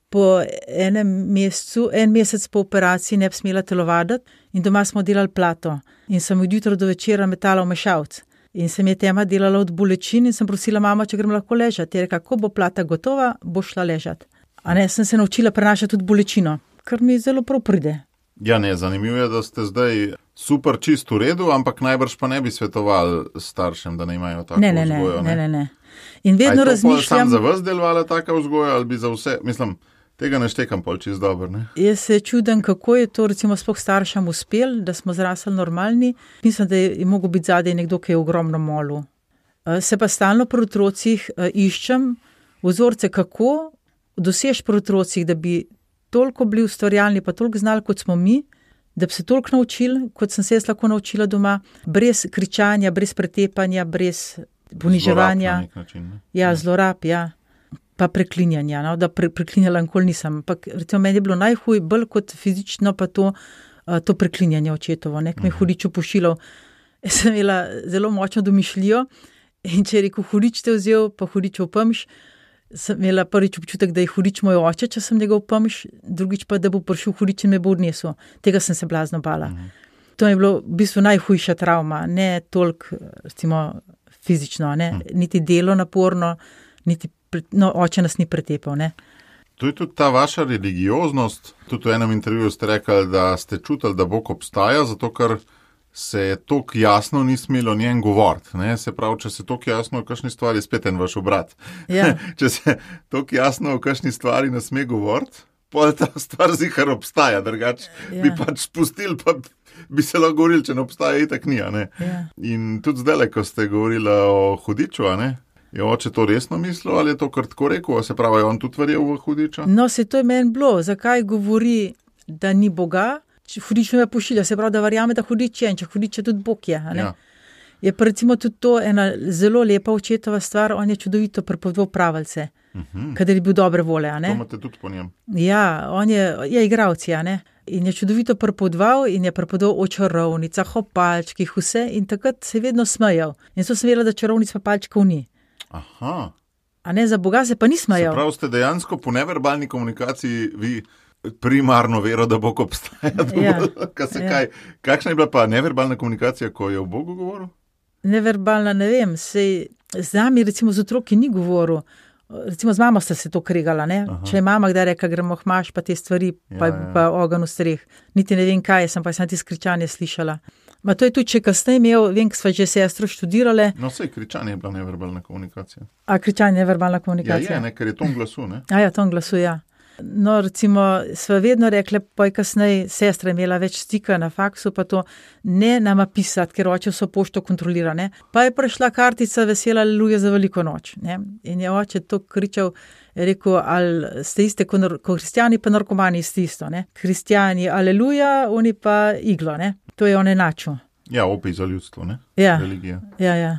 po enem mesecu, en mesec po operaciji ne bi smela telovaditi in doma smo delali plato. In sem od jutra do večera metala v mešalc. In se mi je tema delala od bolečin in sem prosila mama, če grem lahko ležati. Je rekla, ko bo plata gotova, bo šla ležati. A ne, sem se naučila prenašati tudi bolečino, kar mi zelo prav pride. Ja, ne, zanimivo je, da ste zdaj super čist v redu, ampak najbrž pa ne bi svetovali staršem, da ne imajo tako Ne, ne, ne, vzgojo. ne, ne, ne. In vedno A je to pol razmišljam, sam za vas delovala taka vzgoja ali bi za vse, mislim, tega ne štekam pol čist dobro, ne? jaz se čudem, kako je to recimo sploh staršem uspel, da smo zrasli normalni. Mislim, da je, je mogel biti zadaj nekdo, ki je ogromno molil. Se pa stalno pri otrocih iščem vzorce, kako dosež pri otrocih, da bi toliko bili ustvarjalni, pa toliko znali, kot smo mi, da bi se toliko naučili, kot sem se jaz lahko naučila doma, brez kričanja, brez pretepanja, brez poniževanja. Zlorab na nek način, ne? Ja, zlorab, ja. Pa preklinjanja, no, da pre, preklinjala nikoli nisem. Ampak recimo meni je bilo najhuj, bolj kot fizično pa to, uh, to preklinjanje očetovo, ne, ki me je hudič upošilal. Jaz sem imela zelo močno domišljijo in če je rekel, hudič te vzel, pa hudič opomš, sem imela prvič občutek, da je hudič moj oče, če sem njega opomš, drugič pa, da bo prišel hudič in me bo odnesel. Tega sem se blazno bala. Mhm. To je bilo v bistvu najhujša travma, ne toliko, recimo, fizično, ne, mhm. niti delo naporno, niti no, oče nas ni pretepal, ne. To je tudi ta vaša religioznost. Tudi v enem intervjuju ste rekli, da ste čutili, da Bog obstaja, zato ker se je toliko jasno ni smelo njen govoriti. Ne? Se pravi, če se toliko jasno o kakšni stvari, spet en vaš obrat. Ja. Če se toliko jasno o kakšni stvari ne sme govoriti, pol ta stvar zihar obstaja, drugače ja. bi pač spustili, pa bi se lahko govorili, če ne obstaja, itak ni, a ne. Ja. In tudi zdaj, ko ste govorili o hudiču, a ne, je oče to resno mislil ali je to kar tako rekel, a se pravi, je on tudi verjel v hudiča? No, se to je meni bilo, zakaj govori, da ni Boga, hudič me pošilja, se pravi, da verjame, da hudič je in če hudič je tudi Bog je, a ne. Ja. Je pa recimo tudi to ena zelo lepa očetova stvar, on je čudovito prepovedal pravice, uh-huh. kadar je bil dobre vole, a ne. To imate tudi po njem. Ja, on je, je igralec, a ne. In je čudovito prepovedal in je prepovedal o čarovnicah, o palčkih, vse in takrat se je vedno smejal. In so sem vedela, da čarovnic pa palčkov ni. Aha. A ne, za Boga se pa ni smejal. Se pravi, ste dejansko po neverbalni komunikaciji vi primarno vero, da Bog obstaja. Ja. se Ja. kaj, kakšna je bila pa neverbalna komunikacija, ko je o Bogu govoril? Neverbalna, ne vem, sej z nami recimo z otroki ni govoril. Recimo z mamo sta se to kregala, ne? Aha. Če je mama kdaj reka, gremo hmaš pa te stvari, pa, Ja, ja. pa ogen v streh. Niti ne vem kaj, sem pa sem ti skričanje slišala. Ma to je tudi, če kasneje imel, vem, ko sva že sestro študirale, No, sej kričanje je bila neverbalna komunikacija. a kričanje je neverbalna Ja, komunikacija. je, ne, ker je ton glasu, ne? A ja, ton glasu, ja. No, recimo, sva vedno rekle, pa je kasneje sestra imela več stika na faksu, pa to ne nama pisati, ker oče vso pošto kontrolira, ne. Pa je prišla kartica vesela aleluja za veliko noč, ne. In je oče to kričal, je rekel, ali ste iste, ko, nar- ko kristjani pa narkomani iste isto, ne. Kristjani aleluja, oni pa iglo, ne. To je on enačil. Ja, opij za ljudstvo, ne? Ja, Religija. ja, ja.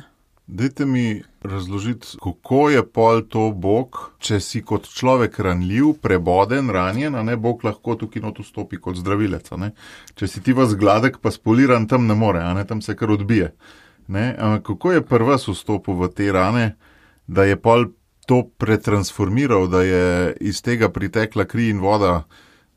Dajte mi razložiti, kako je pol to Bog, če si kot človek ranljiv, preboden, ranjen, a ne, Bog lahko tukaj not vstopi kot zdravilec, a ne. Če si ti vas gladek, pa spoliran, tam ne more, a ne, tam se kar odbije. Ne, a kako je pri vas vstopil v te rane, da je pol to pretransformiral, da je iz tega pritekla kri in voda,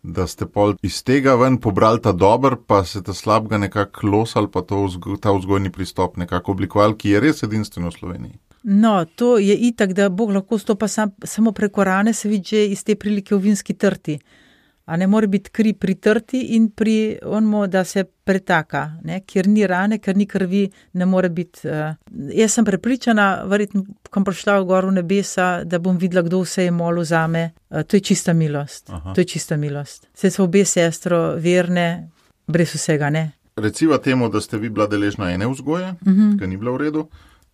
da ste pol iz tega ven pobrali ta dober, pa se ta slabega nekako losali, pa to vzgo, ta vzgojni pristop nekako oblikovali, ki je res edinstven v Sloveniji. No, to je itak, da Bog lahko stopa sam, samo preko rane, se vidi že iz te prilike v vinski trti. A ne more biti kri pri trti in pri onmu, da se pretaka, ne? Kjer ni rane, ker ni krvi, ne more biti. Uh, jaz sem prepričana, verjetno, ko bom prišla v gor v nebesa, da bom videla, kdo vse je molil zame. Uh, to je čista milost. Aha. To je čista milost. Saj so obe sestro verne, brez vsega, ne. Reciva temu, da ste vi bila deležna ene vzgoje, Mhm. ki ni bila v redu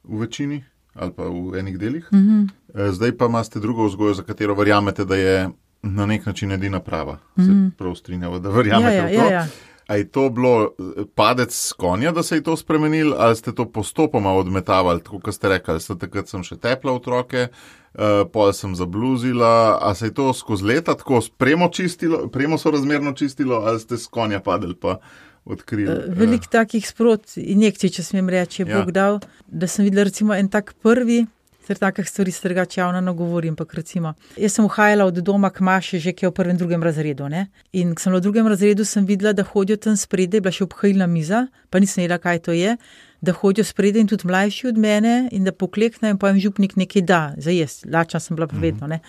v večini ali pa v enih delih. Mhm. Eh, Zdaj pa imate drugo vzgojo, za katero verjamete, da je na nek način edina prava. Se Mhm. prav strinjava, da verjamete Ja, ja, v to. ja, ja. A je to bilo eh, padec s konja, da se je to spremenilo, ali ste to postopoma odmetavali, tako kot ste rekli, ste takrat sem še tepla otroke, uh, pol sem zabluzila, a se je to skozi leta tako spremo čistilo, premo so razmerno čistilo, ali ste s konja padli pa odkrili? Uh, Veliko takih sprot injekcij, če smem reči, je Ja. Bog dal, da sem videla recimo en tak prvi, ter takih stvari se drugače javno ne govorim, ampak recimo, jaz sem uhajala od doma k maši že, ki je v prvem, drugem razredu, ne, in ko sem bila v drugem razredu, sem videla, da hodijo tam spredaj, bila še obhajilna miza, pa nisem vedela, kaj to je, da hodijo spredaj in tudi mlajši od mene in da pokleknejo in pojem župnik nekaj da, za jesti, lačna sem bila pa vedno, ne.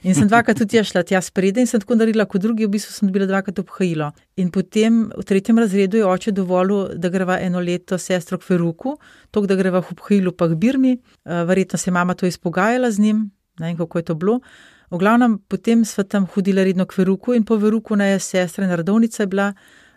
In sem dvakrat tudi jaz šla tja spredaj in sem tako naredila kot drugi, v bistvu sem dobila dvakrat obhajilo. In potem v tretjem razredu je oče dovolil, da greva eno leto s sestro k Feruku, tok da greva v obhajilu pa k Birmi, uh, verjetno se je mama to izpogajala z njim, ne vem, kako je to bilo. V glavnem, potem sva tam hodila redno k Feruku in po Feruku na je sestra in redovnica je bila,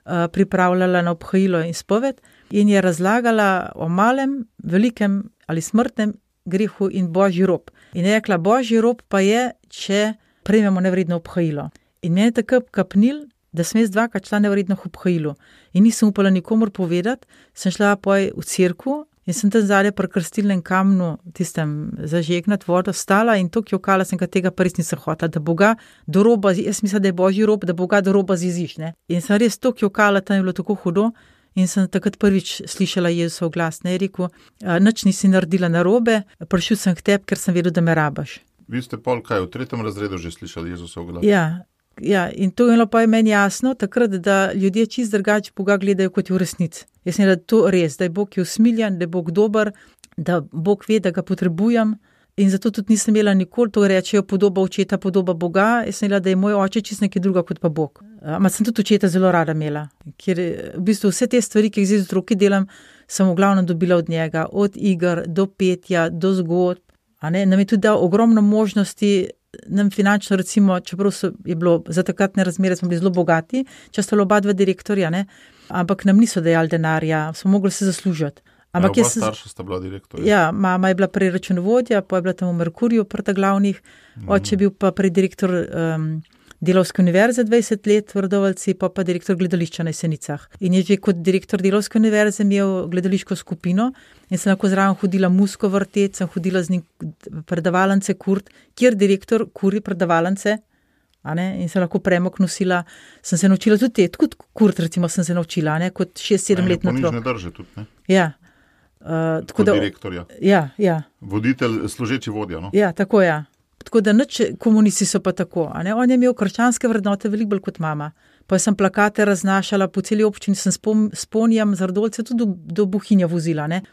uh, pripravljala na obhajilo in spoved in je razlagala o malem, velikem ali smrtnem grehu in božji rob. In je rekla, božji rob pa je, če prejmemo nevredno obhajilo. In meni je tako kapnil, da sem jaz dvakrat šla nevredno obhajilo. In nisem upala nikomor povedati, sem šla poj v cerkev in sem tam zadnje pri krstilnem kamnu, tistem zažegnat vodo, stala in to jokala sem, ka tega pa res nisem hotela, da Boga do roba, jaz mislim, da je božji rob, da Boga do roba ziziš, ne. In sem res to jokala, tam je bilo tako hudo in sem takrat prvič slišala Jezusov glas, ne, je rekel, nič nisi naredila narobe, prišel sem k tebi, ker sem vedel, da me rabaš. Vi ste pol kaj, v tretjem razredu že slišali Jezusov glas? Ja, ja, in to je bilo pa je meni jasno, takrat, da ljudje čist drugače Boga gledajo kot v resnici. Jaz sem da to res, da je Bog je usmiljen, da je Bog dober, da Bog ve, da ga potrebujem in zato tudi nisem imela nikoli, to rečejo podoba očeta, podoba Boga, jaz sem imela, da je moj oče čist nekaj druga kot pa Bog. Ampak sem tudi očeta zelo rada imela, ker v bistvu vse te stvari, ki jih zdaj z otroki delam, sem v glavnem dobila od njega, od iger do petja, do zgodb, a ne, nam je tudi dal ogromno možnosti, nam finančno recimo, čeprav so, je bilo za takratne razmere, smo bili zelo bogati, če sta oba dva direktorja, ne, ampak nam niso dajali denarja, smo mogli se zaslužiti. Ampak ja, oba starša sta bila direktorja. Ja, mama je bila prej računovodja, pa je bila tam v Merkurju prta glavnih, mm. oče je bil pa prej direktor um, Delavske univerze dvajset let v Radovljici, pa pa direktor gledališča na Jesenicah. In je že kot direktor Delavske univerze imel gledališko skupino in sem lahko zraven hodila musko vrtet, sem hodila z njim predavalnice Kurt, kjer direktor kuri predavalnice, a ne, in sem lahko premok nosila, sem se naučila tudi te, kot Kurt recimo sem se naučila, ne, kot šest sedem letno otrok. Ponižne drže tudi, ne? Ja. Uh, tako kot da, direktorja. Ja, ja. Voditelj, služeči vodja, no? Ja, tako ja. Tako da nič komunisti so pa tako, a ne, on je imel krščanske vrednote veliko bolj kot mama. Pa sem plakate raznašala po celi občini, sem spom, sponjam z Radovljice tudi do, do Bohinja vozila, ne.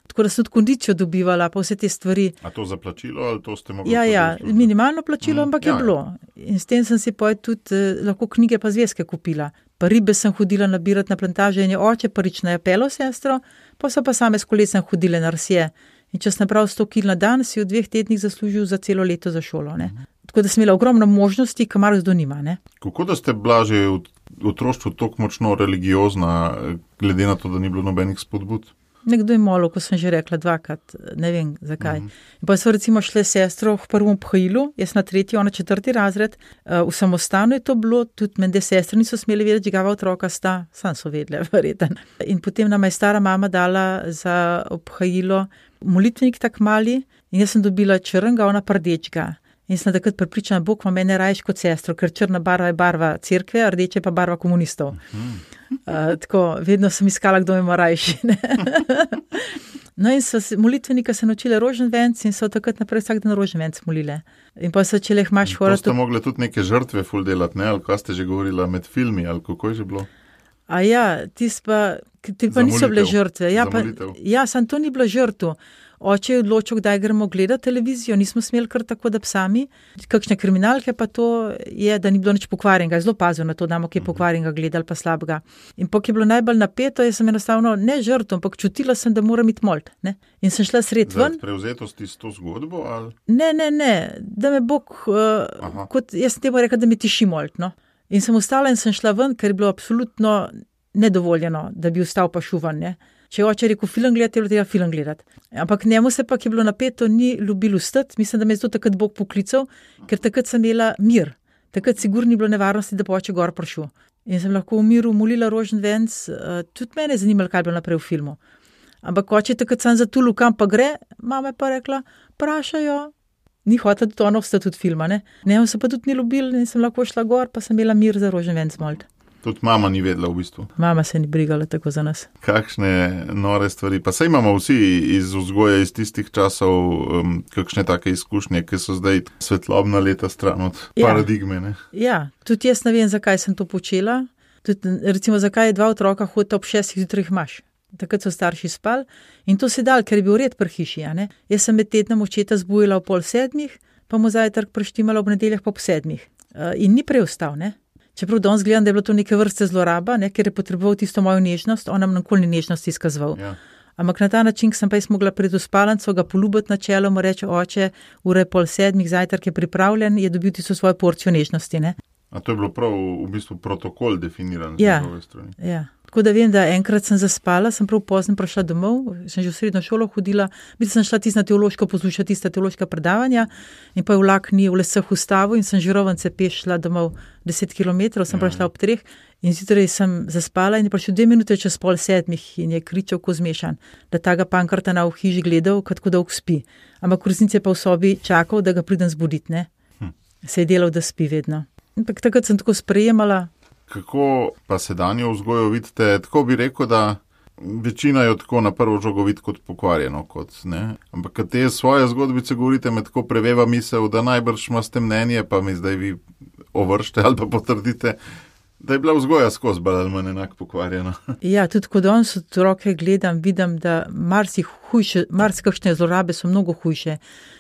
Tako da sem tudi kondicijo dobivala, pa vse te stvari. A to za plačilo ali to ste mogli? Ja, ja, minimalno plačilo, mm, ampak ja, je bilo. In s tem sem si pa tudi eh, lahko knjige pa zvezke kupila. Pa ribe sem hodila nabirati na plantaže in je oče prvič na Japelo sestro, pa so pa same s kolesem hodile na Rsje. In če sem napravil sto kil na dan, si v dveh tednih zaslužil za celo leto za šolo, ne. Mm. Tako da sem imela ogromno možnosti, kamar zdo nima, ne. Kako da ste bila že v otroštvu toliko močno religiozna, glede na to, da ni bilo nobenih spodbud? Nekdo je molil, ko sem že rekla dvakrat, ne vem zakaj. Mm. Pa so recimo šle sestro v prvem obhajilu, jaz na tretji, ona četrti razred, v samostanu je to bilo, tudi mende sestre niso smeli vedeti, čigava otroka sta, sam so vedle, verjeten. In potem nam je stara mama dala za obhajilo molitvenik tak mali in jaz sem dobila črnga, ona pa rdečga. In sem takrat prepričana, Bog ima mene rajš kot sestro, ker črna barva je barva cerkve, a rdeče pa barva komunistov. Mm. Uh, tako, vedno sem iskala, kdo ima rajši. No in so molitvenika se naučile roženvenc in so takrat naprej vsak dan roženvenc molile. In pa so čele hmaš hvala. To ste mogli tudi neke žrtve ful delati, ne? Ali kaj ste že govorila med filmi, ali kako je že bilo? A ja, tis pa, ti pa niso bile žrtve. Ja, pa, ja, sam to ni bila žrtva. Oče je odločil, kdaj gremo gledati televizijo, nismo smeli kar tako, da psami. Kakšne kriminalke pa to je, da ni bilo nič pokvarjenega. Zelo pazil na to, da imamo kaj pokvarjenega gledali pa slabega. In pok je bilo najbolj napeto, jaz sem enostavno ne žrtvo, ampak čutila sem, da moram iti molt. Ne? In sem šla sred ven. Zaradi prevzetosti s to zgodbo? Ali? Ne, ne, ne, da me Bog, uh, kot jaz sem temu rekla, da mi tiši molt. No? In sem ostala in sem šla ven, ker je bilo absolutno nedovoljeno, da bi ostal pa šuvan, ne. Če je oče rekel film gledati, je bilo tega film gledati. Ampak njemu se pa, ki je bilo napeto, ni ljubilo stati. Mislim, da me je zato takrat Bog poklical, ker takrat sem imela mir. Takrat sigurno ni bilo nevarnosti, da bo oče gor prišel. In sem lahko v miru molila roženvenc, tudi mene je zanimalo, kaj je bilo naprej v filmu. Ampak oče takrat sem zatulil, kam pa gre, mama je pa rekla, prašajo, ni hotela tudi ono vstati tudi filma, ne. Njemu se pa tudi ni ljubilo in sem lahko šla gor, pa sem imela mir za roženvenc molt. Tudi mama ni vedela v bistvu. Mama se ni brigala tako za nas. Kakšne nore stvari. Pa saj imamo vsi iz vzgoja iz tistih časov um, kakšne take izkušnje, ki so zdaj svetlobna leta stran od ja. paradigme. Ne? Ja, tudi jaz ne vem, zakaj sem to počela. Tudi, recimo, zakaj je dva otroka hodita ob šestih zjutraj imaš. Takrat so starši spali in to se dal, ker je bil red pri hiši. Ja, ne? Jaz sem med tednom očeta zbujala ob pol sedmih, pa mu zajtrk preštimala ob nedeljah pa ob sedmih. Uh, in ni preostal, ne? Čeprav danes gledam, da je bilo to neke vrste zloraba, ne, ker je potreboval tisto mojo nežnost, on nam nikoli ni nežnost izkazoval. Ja. Ampak na ta način, ko sem pa jaz mogla pred v spalnico ga poljubiti na čelo, mu reče, oče, ura je pol sedmih, zajtrk je pripravljen, je dobil tisto svojo porcijo nežnosti. Ne. A to je bilo prav v bistvu protokol definiran z Ja. njegove strani? Ja. Tako da vem, da enkrat sem zaspala, sem prav pozno prišla domov, sem že v srednjo šolo hodila, biti sem šla tisto na teološko poslušati tista teološka predavanja in pa je vlak ni v lesah ustavil in sem žirovance peš šla domov deset kilometrov, sem prišla ob treh in zjutraj sem zaspala in je prišel dve minute čez pol sedmih in je kričal ko zmešan, da taga Pankrtana v hiži gledal, kako dolgo spi. Ampak v resnici je pa v sobi čakal, da ga pridem zbuditi, ne. Hm. Se je delal, da spi vedno. Ampak takrat sem tako sprejemala. Kako pa sedanjo vzgojo vidite? Tako bi rekel, da večina jo tako na prvo žogo vidi kot pokvarjeno, kot, ne? Ampak kad te svoje zgodbice govorite, me tako preveva misel, da najbrž imate mnenje, pa mi zdaj vi ovršte ali pa potrdite, da je bila vzgoja skozi bolj ali manj enako pokvarjena. Ja, tudi ko danes otroke gledam, vidim, da marsi hujše, marsikakšne zlorabe so mnogo hujše.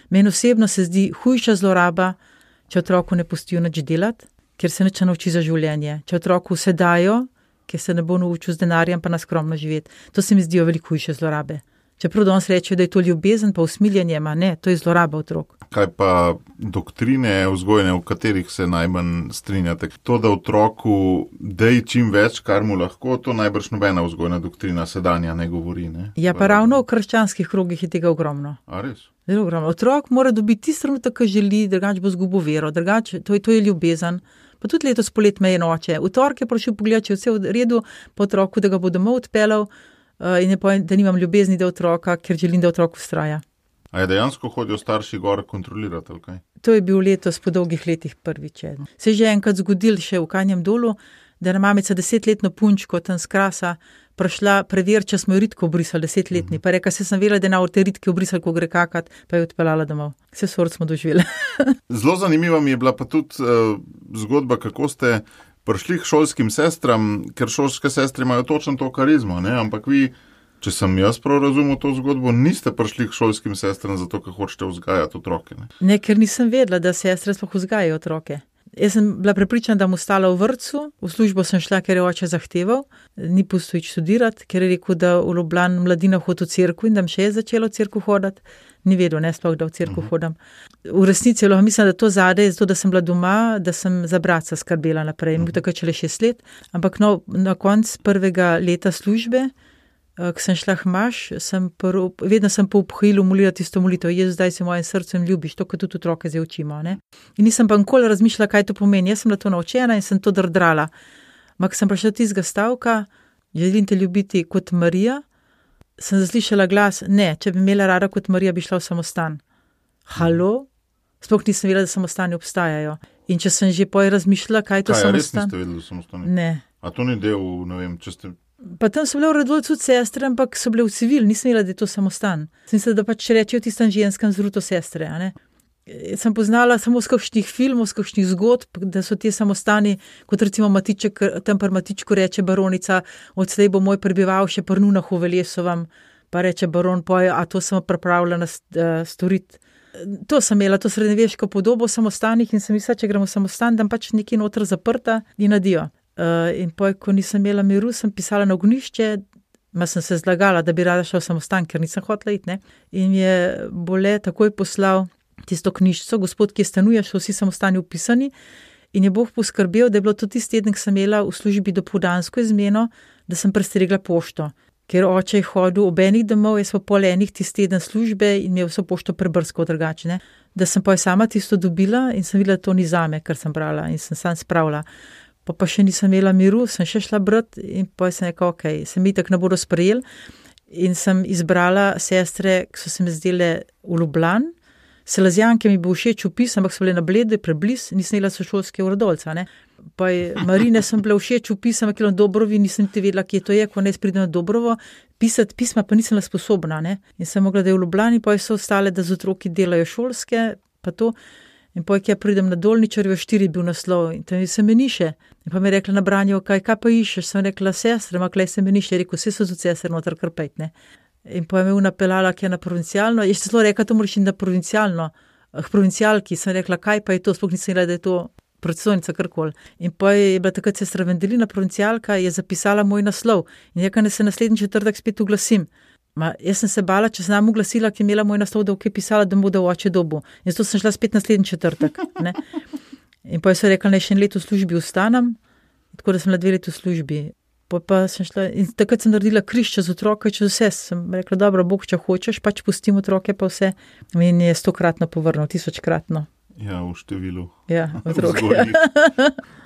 Meni osebno se zdi hujša zloraba, če otroku ne pustijo nič delati, ker se nič nauči za življenje. Če otroku vse dajo, ker se ne bo naučil z denarjem, pa na skromno živeti. To se mi zdijo veliko hujše zlorabe. Čeprav danes rečejo, da je to ljubezen, pa usmiljenje, ma ne, to je zloraba otrok. Kaj pa doktrine vzgojne, v katerih se najmanj strinjate? To, da otroku dej čim več, kar mu lahko, to najbrž nobena vzgojna doktrina sedanja ne govori, ne? Ja, pa ravno v krščanskih krogih je tega ogromno. A res? Zelo ogromno. Otrok mora dobiti tisto trenutek, ki želi, drugače bo zgubil vero, drugače, to je, to je ljubezen. Pa tudi letos polet me je noče. V torek je prišel pogledat, če je vse v redu, po otroku, da ga bo domov odpeljal uh, in je povedal, da nimam ljubezni do otroka, ker želim, da otrok vztraja. A je dejansko hodijo starši gor kontrolirati, ali kaj? To je bil letos po dolgih letih prvič. Se je že enkrat zgodil še v Kanjem dolu, da je mamica desetletno punčko tam z Krasa prišla preveriti, če smo jo ritko obrisali, desetletni. Pa reka, se sem vedela, da je na te ritke obrisali, ko gre kakat, pa je odpeljala domov. Vse sort smo doživeli. Zelo zanimiva mi je bila pa tudi uh, zgodba, kako ste prišli k šolskim sestram, ker šolske sestre imajo točno to karizmo, ne? Ampak vi, če sem jaz prav razumel to zgodbo, niste prišli k šolskim sestram zato, ker hočete vzgajati otroke. Ne? ne, ker nisem vedela, da sestre sploh vzgajajo otroke. Jaz sem bila prepričana, da bom ostala v vrtcu, v službo sem šla, ker je oče zahteval, ni pustil iti študirati, ker je rekel, da v Ljubljani mladina hodi v cerkev in da še je začela v cerkev hoditi. Ni vedel, ne sploh, da v cerkev uh-huh. hodim. V resnici lahko mislim, da to zade je zato, da sem bila doma, da sem za bratca skrbela naprej. Uh-huh. Takrat šele šest let, ampak no, na koncu prvega leta službe, ko sem šla hmaš, sem prv, vedno sem po obhojilu molila tisto molitev, Jezus, zdaj si v mojem srcu in ljubiš, to, kot tudi otroke zdaj učimo. Ne? In nisem pa nikoli razmišljala, kaj to pomeni. Jaz sem bila to naučena in sem to drdrala. Ampak sem prišla do tistega stavka, želim te ljubiti kot Marija, sem zaslišala glas, ne, če bi imela rada kot Marija, bi šla v samostan. Halo? Sploh nisem vedela, da samostani obstajajo. In če sem že poj razmišljala, kaj je to kaj, samostan. Kaj, res niste vedeli, da samostani? Ne. A to ni del, ne vem, če ste... Pa tam so bile v Radovljici tudi sestre, ampak so bile v civil, nisem vedela, da je to samostan. Sem mislila, da pač rečejo tistem ženskem zruto sestre, a ne. Sem poznala samo z kakšnih filmov, z kakšnih zgodb, da so te samostani, kot recimo Matiček, tam pri Matičku reče baronica, odslej bo moj prebival še pri Nunah v Veljesovam, pa reče baron, poje, a to sem pripravljena uh, storiti. To sem imela, to srednjeveško podobo v samostanih in sem mislila, če gremo v samostan, da pač nekaj noter zaprta in nadijo. Uh, in poj, ko nisem imela miru, sem pisala na ognišče, ma sem se zlagala, da bi rada šla v samostan, ker nisem hotela iti, ne. In je Bole takoj poslal tisto knjižico, gospod, ki je stanuje, so vsi samostani upisani in je Bog poskrbel, da je bilo to tisti teden, ki sem imela v službi dopoldansko izmeno, da sem prestregla pošto. Ker oče je hodil ob enih domov, jaz pa pol enih tisti teden službe in mi je vso pošto prebrskal drugače, ne. Da sem poj sama tisto dobila in sem videla, da to ni zame, kar sem brala in sem sam spravila. Pa pa še nisem imela miru, sem še šla brati in pa sem rekla, ok, se mi tako ne bodo sprejeli in sem izbrala sestre, ki so se mi zdele v Ljubljani. Selazijanke mi bo všeč opis, ampak so bile na Bledu, prebliz, nisem imela sošolske v Radovljici, ne. Pa Marine sem bila všeč opis, ampak je na Dobrovi, nisem ti vedela, kje to je, ko ne pridem na Dobrovo, pisati pisma pa nisem bila sposobna, ne. In sem mogla, da je v Ljubljani, pa so ostale, da z otroki delajo šolske, pa to. In poj, ki ja pridem na Dolničarjevo štiri, bil naslov in tam se meniše. In pa mi je rekla na branju, kaj, kaj pa išeš? Sem rekla, sestre, ma klej se meniše. Je rekel, vse so tudi sestre noter krpet, ne. In poj me unapeljala, ki je na provincialno. Je še zelo rekla, to moraš iti na provincialno. K provincialki sem rekla, kaj pa je to? Sploh nisem rekla, da je to predstojnica karkoli. In poj je bila takrat sestra Vendelina, provincialka, je zapisala moj naslov. In je rekla, da se naslednji četrtek spet oglasim. Ma, jaz sem se bala, če sem nam oglasila, ki je imela moj naslov, da je pisala, da mu da oče dobu. In zato sem šla spet naslednji četrtek. Ne? In pa so rekli, naj še en let v službi ostanem, tako da sem bila dve leti v službi. Pa, pa sem šla, in takrat sem naredila križ čez otroke, čez vse. Sem rekla, dobro, Bog, če hočeš, pač pustim otroke pa vse. In je stokratno povrnil, tisočkratno. Ja, v številu. Ja, otroke. Vzgojnih,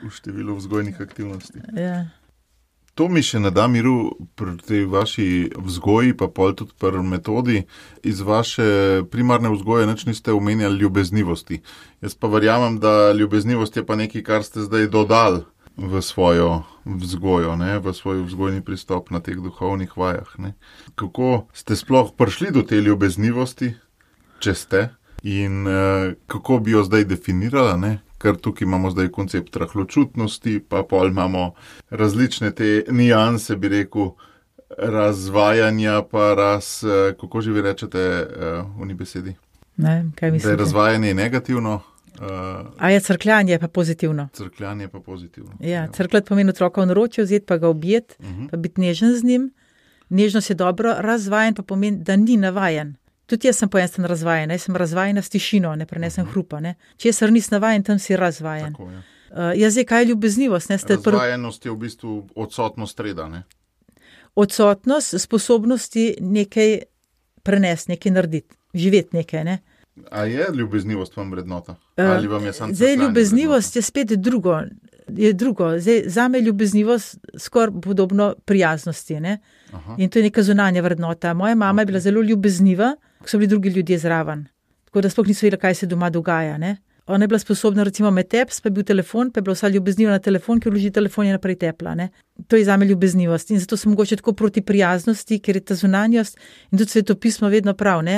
v številu vzgojnih aktivnosti. Ja. To mi še ne da miru pri tej vaši vzgoji, pa pol tudi pri metodi. Iz vaše primarne vzgoje nič niste omenjali ljubeznivosti. Jaz pa verjamem, da ljubeznivost je pa nekaj, kar ste zdaj dodali v svojo vzgojo, ne? V svoj vzgojni pristop na teh duhovnih vajah. Ne? Kako ste sploh prišli do te ljubeznivosti, če ste, in uh, kako bi jo zdaj definirala, ne? Ker tukaj imamo zdaj koncept rahločutnosti, pa pol imamo različne te nianse, bi rekel, razvajanja, pa raz, uh, kako že vi rečete uh, v ni besedi? Ne, kaj mislite? Da je razvajanje negativno. Uh, A je crkljanje pa pozitivno. Crkljanje pa pozitivno. Ja, crkljati pomeni otroka v naročje, vzeti pa ga objeti, uh-huh. pa biti nežen z njim. Nežnost je dobro, razvajen pa pomeni, da ni navajen. Tudi jaz sem po enem razvajen, jaz sem razvajena s tišino, ne prenesem uh-huh. hrupa. Ne. Česar nisi navajen, tam si razvajen. Tako, ja. uh, jaz zdaj, kaj je ljubeznivost? Ne, Razvajenost je v bistvu odsotnost reda, ne? Odsotnost sposobnosti nekaj prenesti, nekaj narediti, živeti nekaj, ne. A je ljubeznivost vam vrednota? Ali vam je samo Zdaj, ljubeznivost je spet drugo. Je drugo. Zdaj, zame je ljubeznivost skoraj podobno prijaznosti. Ne? In to je neka zunanja vrednota. Moja mama okay. je bila zelo ljubezniva, ko so bili drugi ljudje zraven. Tako da sploh niso vedela, kaj se doma dogaja. Ne? Ona je bila sposobna recimo med teps, pa je bil telefon, pa je bila vsa ljubezniva na telefon, ki vloži telefon je naprej tepla. Ne? To je zame ljubeznivost. In zato sem mogoče tako proti prijaznosti, ker je ta zunanjost in tudi svetopismo vedno prav. Ne?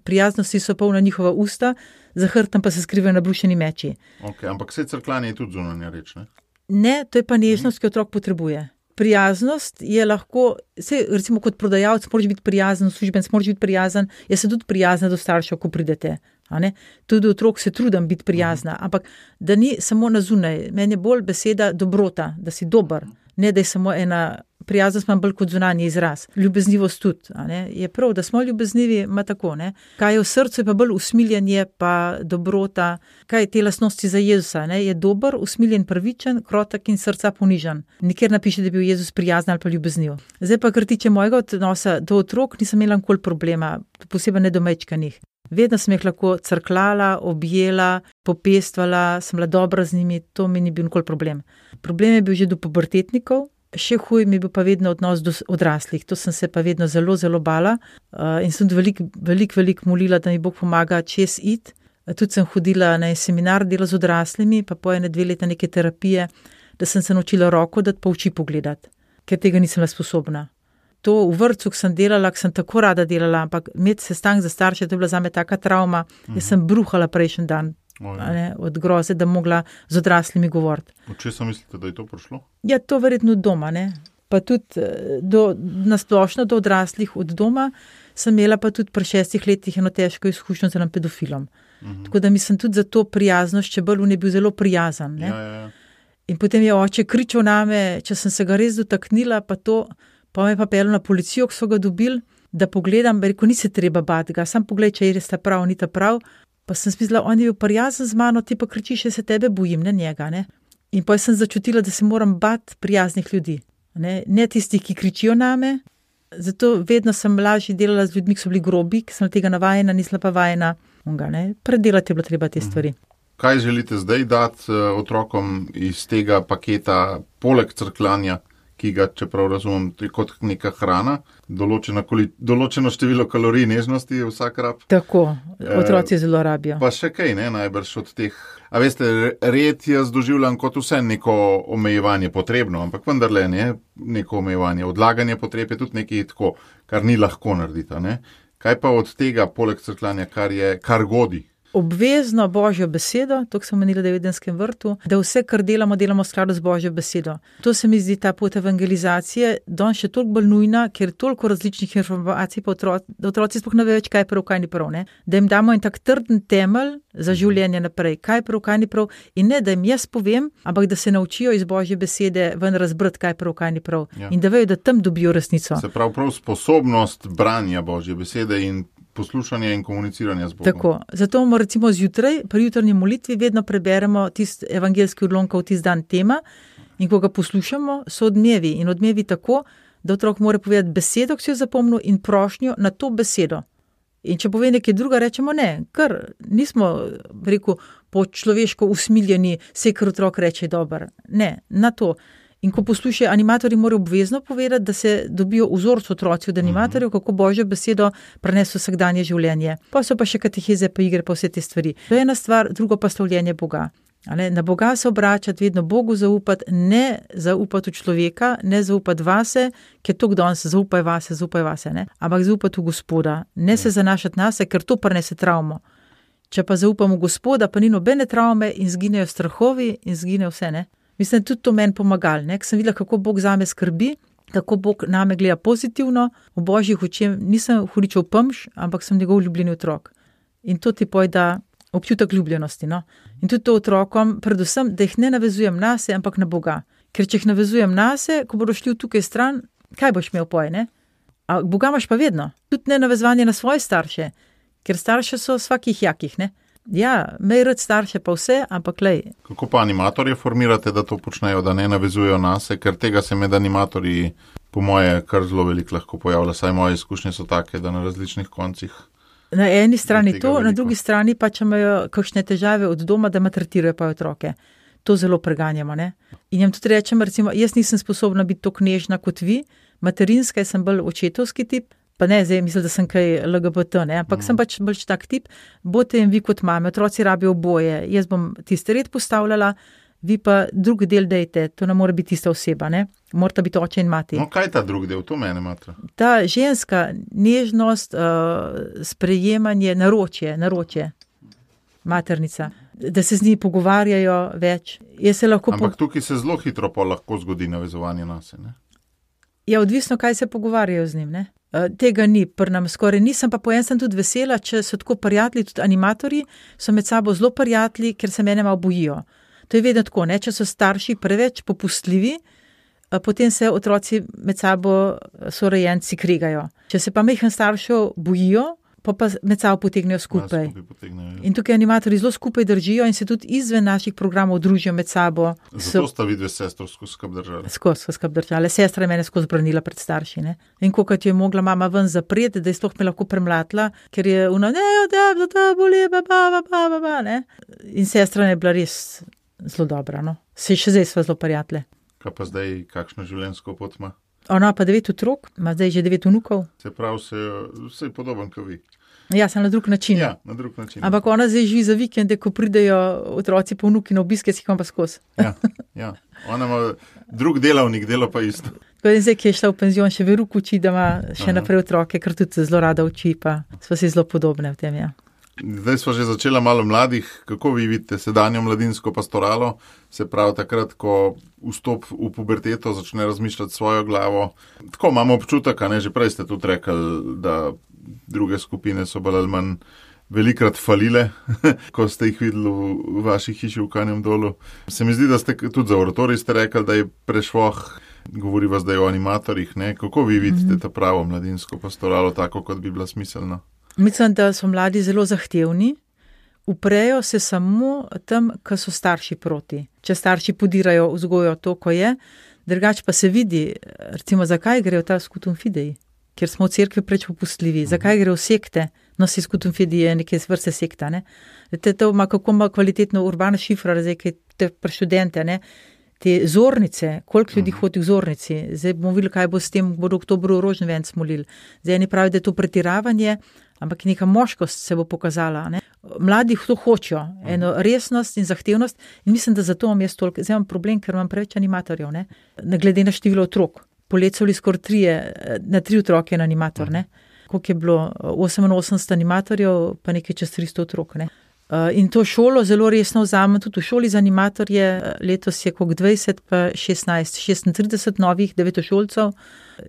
Prijaznosti so polna njihova usta, za hrbtom pa se skrivajo nabrušeni meči. Ok, ampak vse crkljanje je tudi zunanja reč, ne? Ne, to je pa nežnost, ki otrok potrebuje. Prijaznost je lahko, se, recimo kot prodajalec moraš biti prijazen, službenec moraš biti prijazen, jaz sem tudi prijazna do staršev, ko pridete. A ne? Tudi otrok se trudim biti prijazna, ampak da ni samo na zunaj. Meni je bolj beseda dobrota, da si dober, ne da je samo ena prijaznost, imam bolj kot zunanji izraz. Ljubeznivost tudi. A ne? Je prav, da smo ljubeznivi, ima tako. Ne? Kaj je v srcu, je pa bolj usmiljenje, pa dobrota. Kaj je te lastnosti za Jezusa? Ne? Je dober, usmiljen, pravičen, krotek in srca ponižen. Nikjer napiše, da je bil Jezus prijazen ali pa ljubezniv. Zdaj pa, kar tiče mojega odnosa do otrok, nisem imela nikoli problema, posebej ne do mečkanih. Vedno sem jih lahko crklala, objela, popestvala, sem bila dobra z njimi, to mi ni bil nikoli problem. Problem je bil že do pubertetnikov, še huj mi je bil pa vedno odnos do odraslih, to sem se pa vedno zelo, zelo bala uh, in sem veliko, veliko, veliko molila, da mi Bog pomaga čez iti. Tudi sem hodila na seminar dela z odraslimi, pa po ene dve leta neke terapije, da sem se naučila roko dati pa oči pogledati, ker tega nisem bila sposobna. To v vrtcu, ko sem delala, ko sem tako rada delala, ampak imeti sestank za starše, to je bila zame taka travma, uh-huh. jaz sem bruhala prejšnji dan, ne, od groze, da mogla z odraslimi govoriti. Od česa mislite, da je to prišlo? Ja, to verjetno od doma, ne. Pa tudi do, nasplošno do odraslih od doma sem imela pa tudi pri šestih letih eno težko izkušnjo z enim pedofilom. Uh-huh. Tako da mislim tudi za to prijaznost, če bolj on je bil zelo prijazen. Ne. Ja, ja, ja. In potem je oče kričal name, če sem se ga res dotaknila, pa to... Pa me pa pel na policijo, ko so ga dobili, da pogledam, rekel, ni se treba bati ga, sam pogled, če je res ta prav, ni ta prav. Pa sem smislila, on je bil prijazen z mano, ti pa kričiš, se tebe bojim, ne njega. Ne? In pa sem začutila, da se moram bati prijaznih ljudi. Ne, ne tisti, ki kričijo name. Zato vedno sem lažje delala z ljudmi, ki so bili grobi, ki sem tega navajena, nisla pa vajena. Predelati je bilo treba te stvari. Kaj želite zdaj dati otrokom iz tega paketa, poleg crkljanja, ki ga, čeprav razumem, kot neka hrana, določena koli, določeno število kalorij nežnosti je vsak rab. Tako, otroci zelo rabijo. Pa še kaj, ne, najbrž od teh. A veste, red jaz doživljam kot vse neko omejevanje potrebno, ampak vendarle ne, neko omejevanje. Odlaganje potreb je tudi nekaj tako, kar ni lahko narediti, ne. Kaj pa od tega, poleg crkljanja, kar je, kar godi? Obvezno Božjo besedo, to sem menila v Edenskem vrtu, da vse, kar delamo, delamo v skladu z Božjo besedo. To se mi zdi ta pot evangelizacije, danes še toliko bolj nujna, ker je toliko različnih informacij, pa otroci, da otroci sploh ne vejo več, kaj je prav, kaj ni prav. Ne? Da jim damo en tak trden temelj za življenje naprej, kaj je prav, kaj ni prav, in ne, da jim jaz povem, ampak da se naučijo iz Božje besede ven razbrati, kaj je prav, kaj ni prav. Ja. In da vejo, da tam dobijo resnico. Se prav prav sposobnost branja Božje besede in poslušanje in komuniciranje z Bogom. Tako, zato bomo recimo zjutraj, pri jutrnji molitvi vedno preberemo tisti evangeljski odlomek, tisti dan tema, in ko ga poslušamo, so odmevi. In odmevi tako, da otrok mora povedati besedo, ki si jo zapomnil, in prošnjo na to besedo. In če pove nekaj druga, rečemo ne, ker nismo, rekel, po človeško usmiljeni, vse, kar otrok reče, dober. Ne, na to. In ko poslušajo, animatorji morajo obvezno povedati, da se dobijo vzorc otroci od animatorjev, kako Božjo besedo preneso vsakdanje življenje. Pa so pa še kateheze, pa igre, pa vse te stvari. To je ena stvar, drugo pa stavljenje Boga. Na Boga se obračati, vedno Bogu zaupati, ne zaupati v človeka, ne zaupati vase, ker to kdo se zaupaj vase, zaupaj vase, ne? Ampak zaupati v Gospoda, ne se zanašati na se, ker to prenese travmo. Če pa zaupamo v Gospoda, pa ni nobene travme in zginejo strahovi in zginejo vse, ne? Mislim, tudi to meni pomagali, ne? Ker sem videla, kako Bog zame skrbi, kako Bog name gleda pozitivno, v Božjih očeh nisem hudičev pamš, ampak sem njegov ljubljeni otrok. In to ti pojda občutek ljubljenosti, no. In tudi to otrokom, predvsem, da jih ne navezujem na se, ampak na Boga. Ker če jih navezujem na se, ko bodo šli tukaj stran, kaj boš imel poj, ne? A Boga imaš pa vedno. Tudi ne navezovanje na svoje starše, ker starše so svakih jakih, ne? Ja, mej rad starše pa vse, ampak lej. Kako pa animatorje formirate, da to počnejo, da ne navezujejo na se, ker tega se med animatorji, po moje, kar zelo veliko lahko pojavlja, saj moje izkušnje so take, da na različnih koncih. Na eni strani to, veliko. Na drugi strani pa, če imajo kakšne težave od doma, da maltretirajo pa otroke. To zelo preganjamo, ne. In jim tudi rečem, recimo, jaz nisem sposobna biti tako nežna kot vi, materinska, jaz sem bolj očetovski tip, pa ne, zdaj mislim, da sem kaj L G B T, ne, ampak mm. sem pač bolj tak tip, bote in vi kot mame, otroci rabijo oboje, jaz bom tisti red postavljala, vi pa drug del dejte, to ne more biti tista oseba, ne, morata biti oče in mati. No, kaj ta drug del, to mene matra? Ta ženska nežnost, uh, sprejemanje, naročje, naročje, maternica, da se z njih pogovarjajo več. Jaz se lahko ampak po... tukaj se zelo hitro pa lahko zgodi navezovanje na se, ne? Ja, odvisno, kaj se pogovarjajo z njim, ne? Uh, tega ni, pri nam skoraj nisem, pa po en sem tudi vesela, če so tako prijatelji, tudi animatorji, so med sabo zelo prijatelji, ker se mene malo bojijo. To je vedno tako, ne? Če so starši preveč popustljivi, potem se otroci med sabo sorojenci krigajo. Če se pa majhen staršev bojijo, pa pa med sabo potegnejo skupaj. Ja, skupaj potegnejo. In tukaj animatorji zelo skupaj držijo in se tudi izven naših programov družijo med sabo. Zato sta vidve s sestro skozi skrb držali. Skozi skrb držali. Sestra je mene skozi branila pred starši, ne. In kokrat je mogla mama ven zapreti, da je sploh me lahko premlatila, ker je ona, ne, da, da, da, boli, ba, ba, ba, ba, ba, ba, ne. In sestra je bila res zelo dobra, no. Se še zdaj sva zelo prijatelje. Kaj pa zdaj, kakšno življenjsko pot ima? Ona pa devet otrok, ima zdaj že devet vnukov. Se pravi, se, se je podoben kot vi. Ja, sem na drug način. Ja, na drug način. Ampak ona zdaj živi za vikende, ko pridejo otroci po vnuki na obiske, si jih pa skozi. Ja, ja. Ona ima drug delavnik, dela pa isto. Tako da zdaj, ki je šla v penzion, še veruko uči, da ima še Aha. naprej otroke, ker tudi zelo rada uči, pa sva si zelo podobne v tem, ja. Zdaj smo že začela malo mladih. Kako vi vidite sedanjo mladinsko pastoralo? Se pravi, takrat, ko vstop v puberteto začne razmišljati svojo glavo. Tako imamo občutek, a ne, že prej ste tudi rekli, da druge skupine so bolj ali manj velikrat falile, ko ste jih videli v vaši hiši v Kanjem Dolu. Se mi zdi, da ste tudi za oratorij ste rekli, da je prešvoh, govori vas, da je o animatorjih, ne? Kako vi vidite ta pravo mladinsko pastoralo, tako kot bi bila smiselna? Mislim, da so mladi zelo zahtevni, uprejo se samo tam, ko so starši proti. Če starši podirajo vzgojo to, ko je, drugače pa se vidi, recimo, zakaj grejo ta skutum fidei, ker smo v cerkvi preč popustljivi, zakaj grejo sekte, no si skutum fidei je neke vrste sekta, ne. Te to ima, kako ima kvalitetno urbana šifra, zdaj, kaj te pri študente, ne. Te zornice, koliko ljudi hodi v zornici, zdaj bomo videli, kaj bo s tem, bodo oktobru rožni venc molili. Zdaj eni pravi, da je to pretiravanje, ampak neka moškost se bo pokazala, ne. Mladi to hočejo, eno resnost in zahtevnost in mislim, da zato imam jaz toliko, zdaj imam problem, ker imam preveč animatorjev, ne. Glede na število otrok. Poleti so bili skoraj trije, na tri otroke en animator, ne. Koliko je bilo, oseminosemdeset animatorjev, pa nekaj čez tristo otrok, ne. In to šolo zelo resno vzamem, tudi v šoli za animatorje, letos je koliko dvajset, pa šestnajst, šestintrideset novih devetošolcev,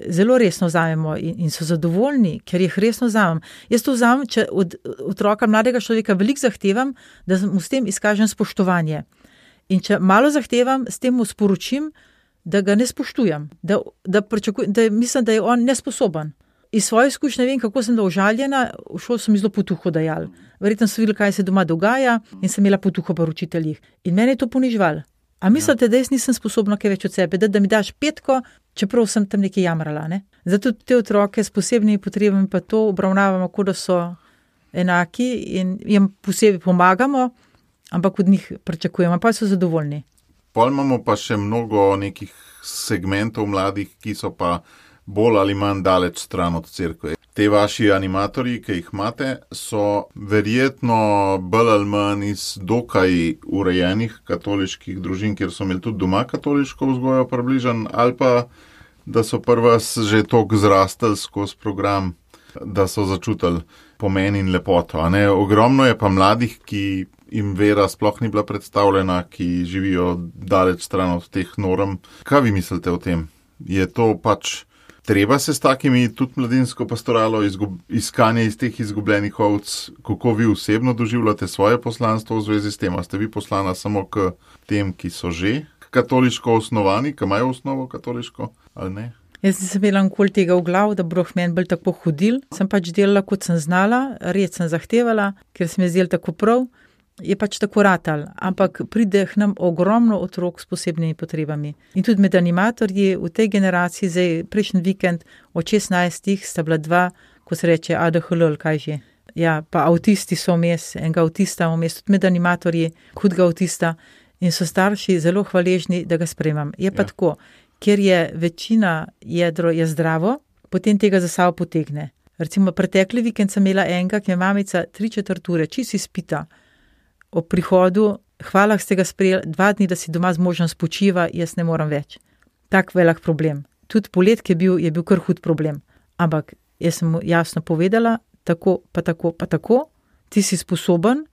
zelo resno vzamemo in, in so zadovoljni, ker jih resno vzamem. Jaz to vzamem, če od otroka, mladega človeka veliko zahtevam, da mu s tem izkažem spoštovanje. In če malo zahtevam, s tem mu sporočim, da ga ne spoštujem, da, da, da mislim, da je on nesposoben. iz svoje izkušnje vem, kako sem bila užaljena, v šoli so mi zelo potuho dajali. Verjetno so videli, kaj se doma dogaja in sem imela potuho pri učiteljih. In mene je to ponižval. A mislite, da jaz nisem sposobna kaj več od sebe, da, da mi daš petko, čeprav sem tam nekaj jamrala, ne? Zato te otroke s posebnimi potrebami pa to obravnavamo, kot da so enaki in jim posebej pomagamo, ampak od njih pričakujemo, pa so zadovoljni. Pol imamo pa še mnogo nekih segmentov mladih, ki so pa bolj ali manj daleč stran od cerkve. Te vaši animatorji, ki jih imate, so verjetno bolj ali manj iz dokaj urejenih katoliških družin, kjer so imeli tudi doma katoliško vzgojo približan, ali pa da so prva že toliko zrastali skozi program, da so začutili pomen in lepoto. A ne? Ogromno je pa mladih, ki jim vera sploh ni bila predstavljena, ki živijo daleč stran od teh norm. Kaj vi mislite o tem? Je to pač treba se s takimi tudi mladinsko pastoralo izgub, iskanje iz teh izgubljenih ovc? Kako vi osebno doživljate svoje poslanstvo v zvezi s tem? A ste vi poslana samo k tem, ki so že katoliško osnovani, ki imajo osnovo katoliško, ali ne? Jaz nisem imela nikoli tega v glav, da boh meni bolj tako hodil. Sem pač delala, kot sem znala, red sem zahtevala, ker sem je zdel tako prav. Je pač tako ratal, ampak pride k nam ogromno otrok s posebnimi potrebami. In tudi med animatorji v tej generaciji, zdaj prejšnji vikend od šestnajstih sta bila dva, ko se reče A D H L, kaj že. Ja, pa avtisti so vmes, enega avtista vmes, tudi med animatorji, hudega avtista in so starši zelo hvaležni, da ga sprejemam. Je pa ja. Tako, ker je večina jedro je zdravo, potem tega za sabo potegne. Recimo pretekli vikend sem imela enega, ki je mamica tri četrt ure, čisi spita. Ob prihodu, hvala, ste ga sprejeli, dva dni, da si doma z možem spočiva, jaz ne moram več. Tak velik problem. Tudi polet, ki je bil, je bil kar hud problem. Ampak jaz sem mu jasno povedala, tako, pa tako, pa tako, ti si sposoben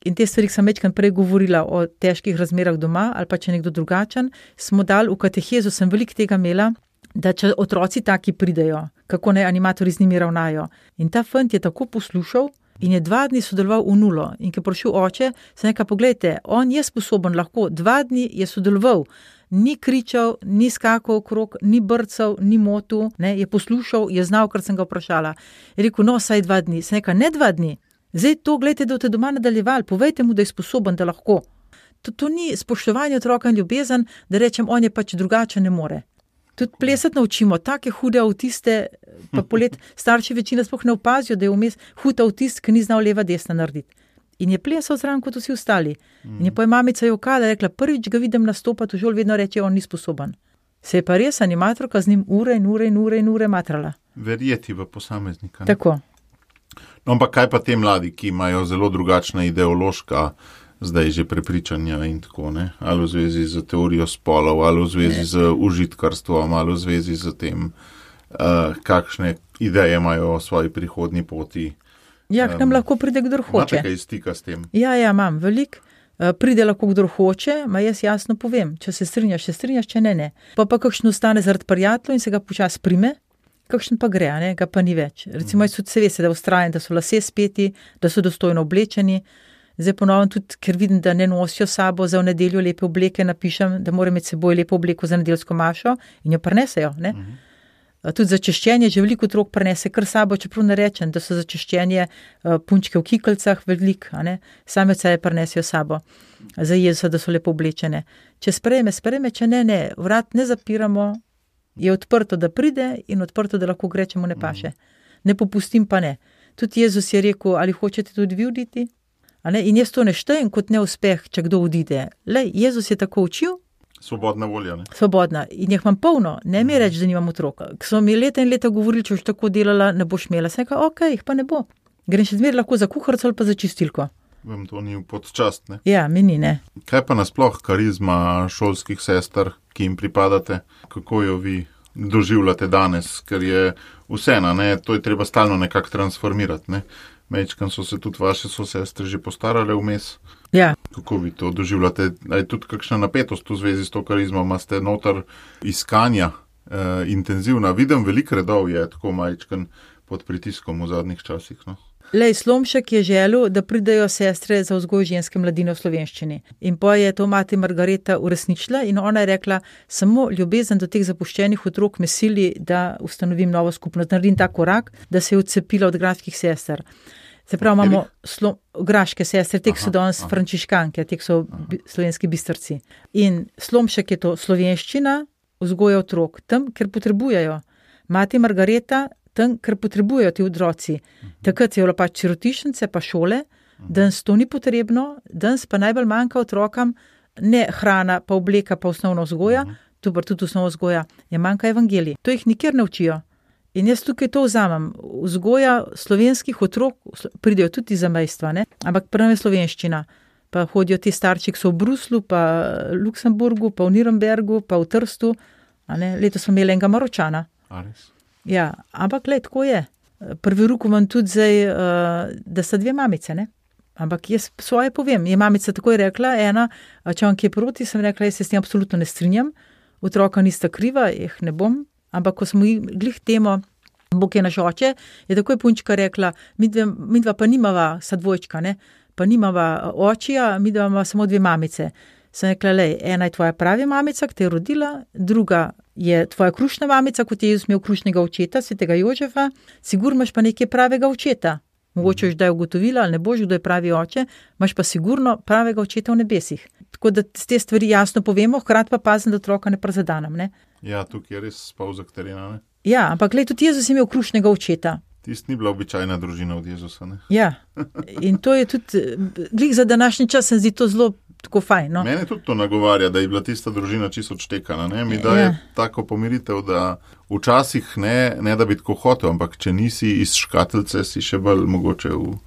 in te stvari, ki sem večkrat prej govorila o težkih razmerah doma ali pa če nekdo drugačen, smo dali v katehezu, sem veliko tega imela, da če otroci taki pridejo, kako naj animatorji z njimi ravnajo. In ta fant je tako poslušal, in je dva dni sodeloval v nulo. In ko je prišel oče, sem nekaj, poglejte, on je sposoben, lahko dva dni je sodeloval. Ni kričal, ni skakal okrog, ni brcal, ni motil, ne, je poslušal, je znal, kar sem ga vprašala. Je rekel, no, saj dva dni. Sem nekaj, ne dva dni. Zdaj to, gledajte, da boste doma nadaljevali, povejte mu, da je sposoben, da lahko. To, to ni spoštovanje otroka in ljubezen, da rečem, on je pač drugače, ne more. Tudi plesati naučimo, take hude avtiste, pa polet starši večina sploh ne opazijo, da je vmes hud avtist, ki ni znal leva desna narediti. In je plesal zraven kot vsi ostali. In je pa je mamica jokala, rekla, prvič ga vidim nastopati, v žol vedno reče, on ni sposoben. Se je pa res animatorka z njim ure in ure in ure in ure matrala. Verjeti v posameznika. Ne? Tako. No, ampak kaj pa te mladi, ki imajo zelo drugačna ideološka zdaj že prepričanja in tako, ne? Ali v zvezi z teorijo spolov, ali v zvezi ne. Z užitkarstvom, ali v zvezi z tem, uh, kakšne ideje imajo o svoji prihodnji poti. Ja, k nam um, lahko pride, kdor hoče. Imate kaj stika s tem? Ja, ja, imam veliko. Uh, pride lahko, kdor hoče, ma jaz jasno povem, če se strinjaš, se strinjaš, če ne, ne. Pa pa kakšno ostane zaradi prijateljev in se ga počas prime, kakšen pa gre, ne, ga pa ni več. Recimo, jaz tudi se veste, da ustrajam, da so lase speti, da so dostojno oblečeni. Zdaj ponovno tudi, ker vidim, da ne nosijo sabo za v nedeljo lepe obleke, napišem, da mora imeti seboj lepo obleko za nedeljsko mašo in jo prinesejo, ne. Uh-huh. Tudi za češčenje, že veliko otrok prinese kar sabo, čeprav ne rečem, da so za češčenje uh, punčke v kikljcah veliko, a ne. Same od sebe prinesejo sabo za Jezusa, da so lepo oblečene. Če sprejme, sprejme, če ne, ne, vrat ne zapiramo, je odprto, da pride in odprto, da lahko gre, če mu ne paše. Ne popustim pa ne. Tudi Jezus je rekel, ali hočete tudi vi oditi? A ne? In jaz to ne štejem kot neuspeh, če kdo odide. Lej, Jezus je tako učil. Svobodna volja, ne? Svobodna. In jih imam polno. Ne mi reči, da nimam otroka. Ko so mi leta in leta govorili, če boš tako delala, ne boš imela. Sem rekla, ok, jih pa ne bo. Grem še zmer lahko za kuharico ali pa za čistilko. Vem, to ni podčast, ne? Ja, meni ne. Kaj pa nasploh karizma šolskih sester, ki jim pripadate? Kako jo vi doživljate danes? Ker je vseeno, ne? To je treba stalno nekako transformirati, ne? Mečkan so se tudi vaše sosestre že postarale vmes. Ja. Kako vi to doživljate? Je tudi kakšna napetost v zvezi s to karizmo? Imate noter iskanja eh, intenzivna? Vidim, veliko redov je tako majčkan pod pritiskom v zadnjih časih, no? Lej, Slomšek je želel, da pridejo sestre za vzgoj ženske mladine v slovenščini. In pa je to mati Margareta uresničila in ona je rekla, samo ljubezen do teh zapuščenih otrok me sili, da ustanovim novo skupnost, naredim ta korak, da se je odcepila od graških sester. Se pravi, imamo slo, graške sestre, tek so danes frančiškanke, tek so bi, slovenski bistrci. In Slomšek je to slovenščina, vzgoja otrok, tam, ker potrebujejo. Mati Margareta, tam, ker potrebujejo ti otroci. Takrat je bilo pač sirotišnice, pa šole, danes to ni potrebno, danes pa najbolj manjka otrokam ne hrana, pa obleka, pa osnovna vzgoja, tu pa tudi osnovna vzgoja, je manjka evangelij. To jih nikjer ne učijo. In jaz tukaj to vzamem. Vzgoja slovenskih otrok pridejo tudi za mejstva, ne? Ampak prvo je slovenščina. Pa hodijo ti starči, ki so v Bruslu, pa v Luksemburgu, pa v Nürnbergu, pa v Trstu. A ne? Letos smo imeli enega Maročana. Ja, ampak gled, tako je. Prvi ruk imam tudi zdaj, uh, da sta dve mamice, ne? Ampak jaz svoje povem. Je mamica takoj rekla, ena, če vam kje proti, sem rekla, jaz se s tem absolutno ne strinjam. Otroka nista kriva, jih ne bom. Ampak ko smo glih temo, Bog je naš oče, je takoj punčka rekla, midva, midva pa nimava, sa dvojčka, ne? Pa nimava očija, midva ima samo dve mamice. Sem rekla, lej, ena je tvoja pravi mamica, ki te je rodila, druga je tvoja krušna mamica, kot je Jezus imel krušnega očeta, svetega Jožefa, sigurno imaš pa nekaj pravega očeta. Mogoče už da je ugotovila, ali ne boš, kdo je pravi oče, imaš pa sigurno pravega očeta v nebesih. Tako da te stvari jasno povemo, hkrati pa pazim, da otroka ne prizadanem, ne? Ja, tukaj je res spavzak terena, ne? Ja, ampak gled, tudi Jezus je imel krušnega očeta. Tist ni bila običajna družina od Jezusa, ne? Ja, in to je tudi, glih za današnji čas se zdi to zelo tako fajn, no? Mene tudi to nagovarja, da je bila tista družina čisto odštekana, ne? Mi daje ja. Tako pomiritev, da včasih ne, ne da bi tako hotel, ampak če nisi iz škatelce, si še bolj mogoče v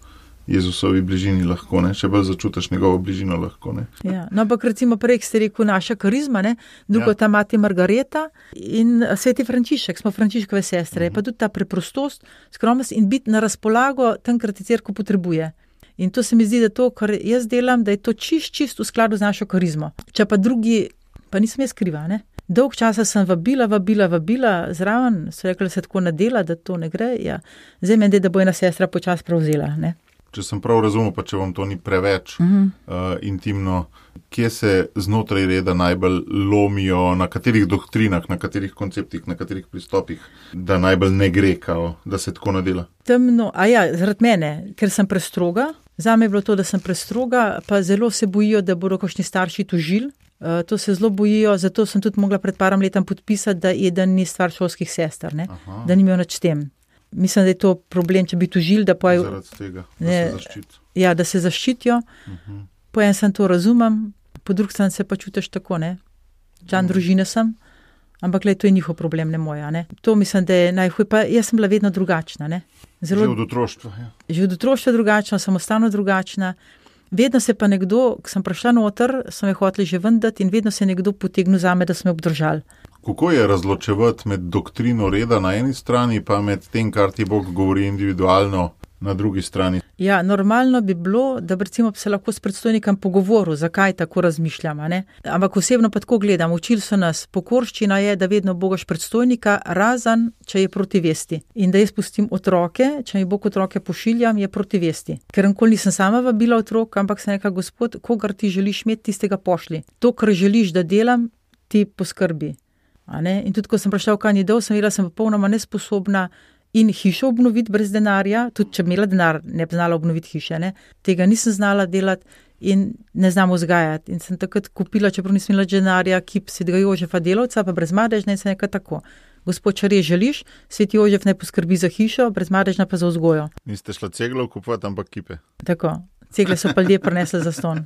Jezusovi bližini lahko, ne? Še bolj začutiš njegovo bližino lahko, ne? Ja, no, ampak recimo prej ste rekel naša karizma, ne? Drugo ja. Ta mati Margareta in sveti Frančišek, smo Frančiškove sestre, uh-huh. Pa tudi ta preprostost, skromnost in biti na razpolago tam, kar ti cerkev potrebuje. In to se mi zdi, da to, kar jaz delam, da je to čist, čist v skladu z našo karizmo. Če pa drugi, pa nisem jaz kriva, ne? Dolg časa sem vabila, vabila, vabila, zraven, so rekli, da se tako nadela, da to ne gre, ja. Zdaj meni, da bo ena sestra počas prevzela, ne? Če sem prav razumel, pa če vam to ni preveč uh-huh. uh, intimno, kje se znotraj reda najbolj lomijo, na katerih doktrinah, na katerih konceptih, na katerih pristopih, da najbolj ne gre, kao, da se tako nadela? Temno, a ja, zaradi mene, ker sem prestroga, zame je bilo to, da sem prestroga, pa zelo se bojijo, da bodo kakšni starši tožili. Uh, to se zelo bojijo, zato sem tudi mogla pred parom letom podpisati, da eden ni stvar šolskih sester, ne? Da ni imel nič s tem. Mislim, da je to problem, če bi tožili, da poje... Zaradi tega, da ne, se zaščitijo. Ja, da se zaščitijo. Uh-huh. Po en sem to razumem, po drug sem se pa čutiš tako, ne. Član uh-huh. družine sem, ampak gled, to je njihov problem, ne moja, ne. To mislim, da je najhuj, pa jaz sem bila vedno drugačna, ne. Zelo... Že od otroštva, ja. Že od otroštva drugačna, samostalno drugačna. Vedno se pa nekdo, ko sem prišla noter, so me hoteli že vendati in vedno se je nekdo potegnil zame, da so me obdržali. Kako je razločevati med doktrino reda na eni strani, pa med tem, kar ti Bog govori individualno na drugi strani? Ja, normalno bi bilo, da bi recimo se lahko s predstojnikom pogovoril, zakaj tako razmišljam, ne? Ampak osebno pa tako gledam, učili so nas, pokorščina je, da vedno bogaš predstojnika, razen, če je proti vesti. In da jaz pustim otroke, če mi Bog otroke pošiljam, je proti vesti. Ker nikoli nisem sama vabila otrok, ampak sem rekla, Gospod, kogar ti želiš imeti, tistega pošli. To, kar želiš, da delam, ti poskrbi. A ne? In tudi, ko sem prišla v Kanidov, sem vedela, sem popolnoma nesposobna in hišo obnoviti brez denarja, tudi če imela denar, ne bi znala obnoviti hiše, ne? Tega nisem znala delati in ne znam vzgajati. In sem takrat kupila, čeprav nisem imela denarja, kip svetega Jožefa delavca, pa brezmadežna in sem nekaj tako. Gospod, če res želiš, sveti Jožef naj poskrbi za hišo, brezmadežna pa za vzgojo. Niste šla ceglo kupovati, ampak kipe. Tako. Cegle so pa ljudje prinesli za ston.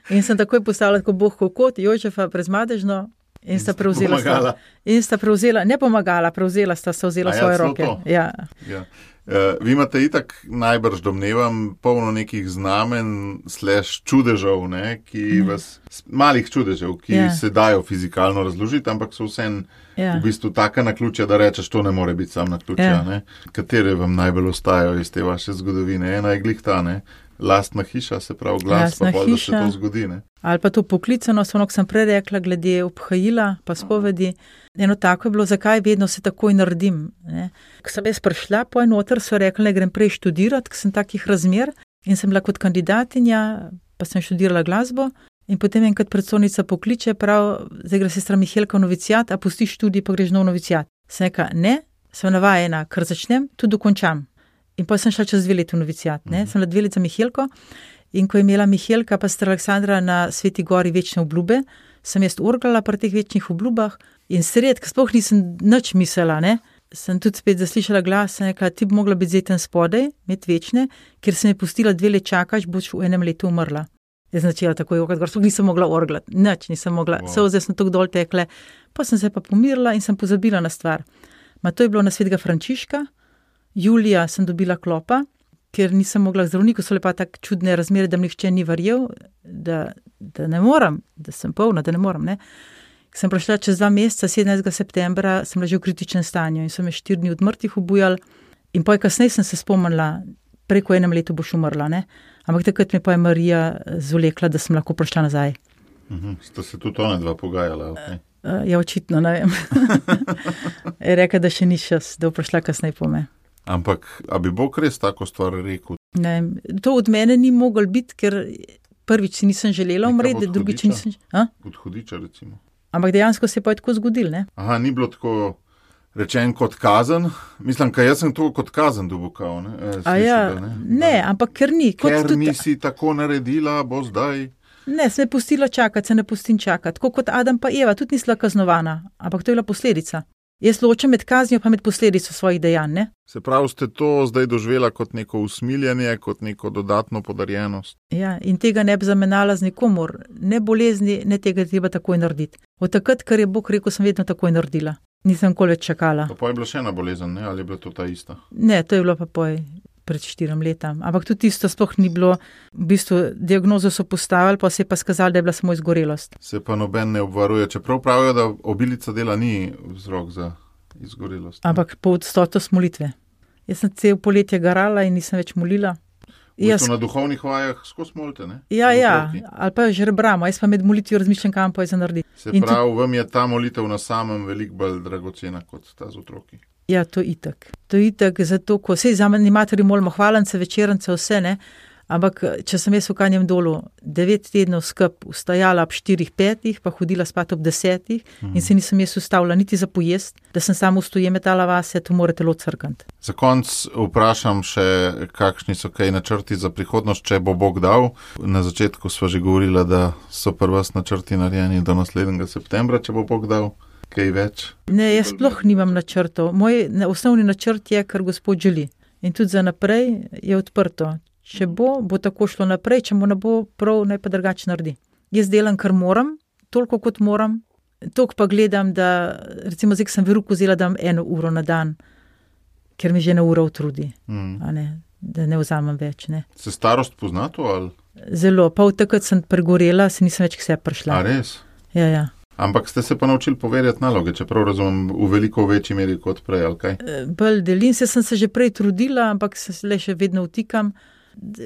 In sem takoj postavila tako Bog kot Jožefa brezmadežno. In sta prevzela, sta, in sta prevzela, ne pomagala, prevzela sta se vzela ja, svoje roke. Ja. Ja. Uh, vi imate itak najbrž domnevam polno nekih znamen slash čudežev, ne, ki mm. vas, malih čudežev, ki ja. Se dajo fizikalno razložiti, ampak so vsem ja. V bistvu taka naključja, da rečeš, to ne more biti sam naključja. Ja. Ne. Katere vam najbolj ostajajo iz te vaše zgodovine? Ena je glih ta, ne, Lastna hiša, se pravi glas, Lastna pa pol, da se hiša. to zgodi, ne? Ali pa to poklicano, ono, ko sem prej rekla, glede obhajila, pa spovedi. Eno tako je bilo, zakaj vedno se takoj naredim. Ne? Ko sem jaz prišla po enoter, so rekli, da grem prej študirati, ker sem takih razmer in sem bila kot kandidatinja, pa sem študirala glasbo. In potem enkrat predstojnica pokliče, prav, zdaj gre sestra Mihelka v novicijat, a pustiš študij, pa greš nov novicijat. Sem rekla, ne, sem navajena, ker začnem, tudi dokončam. In pa sem šla čez dve leti v novicijat. Ne? Mm-hmm. Sem bila dve leti za Mihelko in ko je imela Mihelka pa sestra Aleksandra na Sveti gori večne obljube, sem jaz orglala pri teh večnih obljubah in sred, ker sploh nisem nič mislila, ne? Sem tudi spet zaslišala glas, sem rekla, ti bi mogla biti zeten spodaj, imeti večne, ker sem je pustila dve let čakaš, boš v enem letu umrla. Jaz sem začela tako jokati, gor sploh nisem mogla orglati, nič nisem mogla, wow. Solze sem tako dol tekle, pa sem se pa pomirila in sem pozabila na stvar. Ma to je bilo na Svetega Frančiška, julija sem dobila klopa, ker nisem mogla k zdravniku, so le pa tako čudne razmere, da mi nihče ni verjel, da, da ne moram, da sem polna, da ne moram, ne. Sem prišla čez dva meseca, sedemnajstega septembra, sem bila že v kritičnem stanju in so me štiri dni od mrtvih ubujali in poj kasneje sem se spomnila, preko enem letu boš umrla, ne. Ampak takrat me pa je Marija zvlekla, da sem lahko prišla nazaj. Mhm. Ste se tudi ona dva pogajala, okay. Uh, ja, očitno, ne vem. Je rekla, da še ni čas, da bo prišla kasneje po me. Ampak, a bi Bog res tako stvar rekel? Ne, to od mene ni moglo biti, ker prvič si nisem želela umreti, drugič nisem... A? Od hudiča, recimo. Ampak dejansko se je pa je tako zgodil, ne? Aha, ni bilo tako rečen kot kazen. Mislim, kaj jaz sem to kot kazen dobukal, ne? E, A ja, ne? ne, ampak ker ni. Kot Ker tudi, nisi tako naredila, bo zdaj... ne, sem je pustila čakati, se ne pustim čakati. Tako kot Adam pa Eva, tudi nisla kaznovana, ampak to je bila posledica. Jaz ločem med kaznijo pa med posledico svojih dejanj, ne? Se pravi, ste to zdaj doživela kot neko usmiljenje, kot neko dodatno podarjenost? Ja, in tega ne bi zamenjala z nikomor. Ne bolezni, ne tega treba takoj narediti. Od takrat, ker je Bog rekel, sem vedno takoj naredila. Nisem nikoli več čakala. Pa pa je bila še ena bolezen, ne? Ali je bila to ta ista? Ne, to je bilo pa poj pred štirim letam. Ampak tudi isto sploh ni bilo, v bistvu diagnozo so postavili, pa se je pa skazali, da je bila samo izgorelost. Se pa noben ne obvaruje, čeprav pravijo, da obilica dela ni vzrok za izgorelost. Ne? Ampak po odstotost molitve. Jaz sem cel poletje garala in nisem več molila. V Jaz, bistvu na duhovnih vajah skozi molite, ne? ja, Z ja, otroki. ali pa že rebramo, jaz pa med molitvijo razmišljam, kam pa je za narediti. Se In pravi, vam je ta molitev na samem veliko bolj dragocena kot ta z otroki. Ja, to itak. To itak, zato, ko vse za animatorji molimo hvalence, večerance, vse, ne, ampak če sem jaz v Kanjem dolu devet tednov skup vstajala ob štirih, petih, pa hodila spat ob desetih mm. in se nisem jaz ustavila niti za pojest, da sem samo stoje metala vase, to mora telo crkant. Za konc vprašam še, kakšni so kaj načrti za prihodnost, če bo Bog dal. Na začetku sva že govorila, da so pri vas načrti narejeni do naslednjega septembra, če bo Bog dal. Kaj več? Ne, jaz sploh nimam načrtov. Moj ne, osnovni načrt je, kar Gospod želi. In tudi za naprej je odprto. Če bo, bo tako šlo naprej, če mu ne bo prav, naj pa drugače naredi. Jaz delam, kar moram, toliko kot moram. Toliko pa gledam, da recimo zdaj, sem veruko vzela, da imam eno uro na dan, ker mi že ena ura utrudi. Mm. A ne, da ne vzamem več. Ne. Se starost pozna to ali? Zelo. Pa od takrat sem pregorela, se nisem več k sebi prišla. A res? Ja, ja. Ampak ste se pa naučili poverjati naloge, čeprav razumem v veliko večji meri kot prej, ali kaj? Bolj delim se, sem se že prej trudila, ampak se le še vedno vtikam.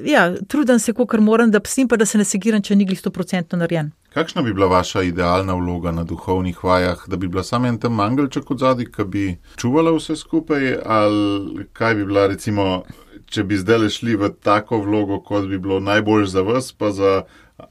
Ja, trudim se, kolikor moram, da psim pa, da se ne segiram, če ni glih sto procentno narejen. Kakšna bi bila vaša idealna vloga na duhovnih vajah? Da bi bila samo en tam angelček od zadaj, ki bi čuvala vse skupaj, ali kaj bi bila recimo, če bi zdaj šli v tako vlogo, kot bi bilo najbolj za vas, pa za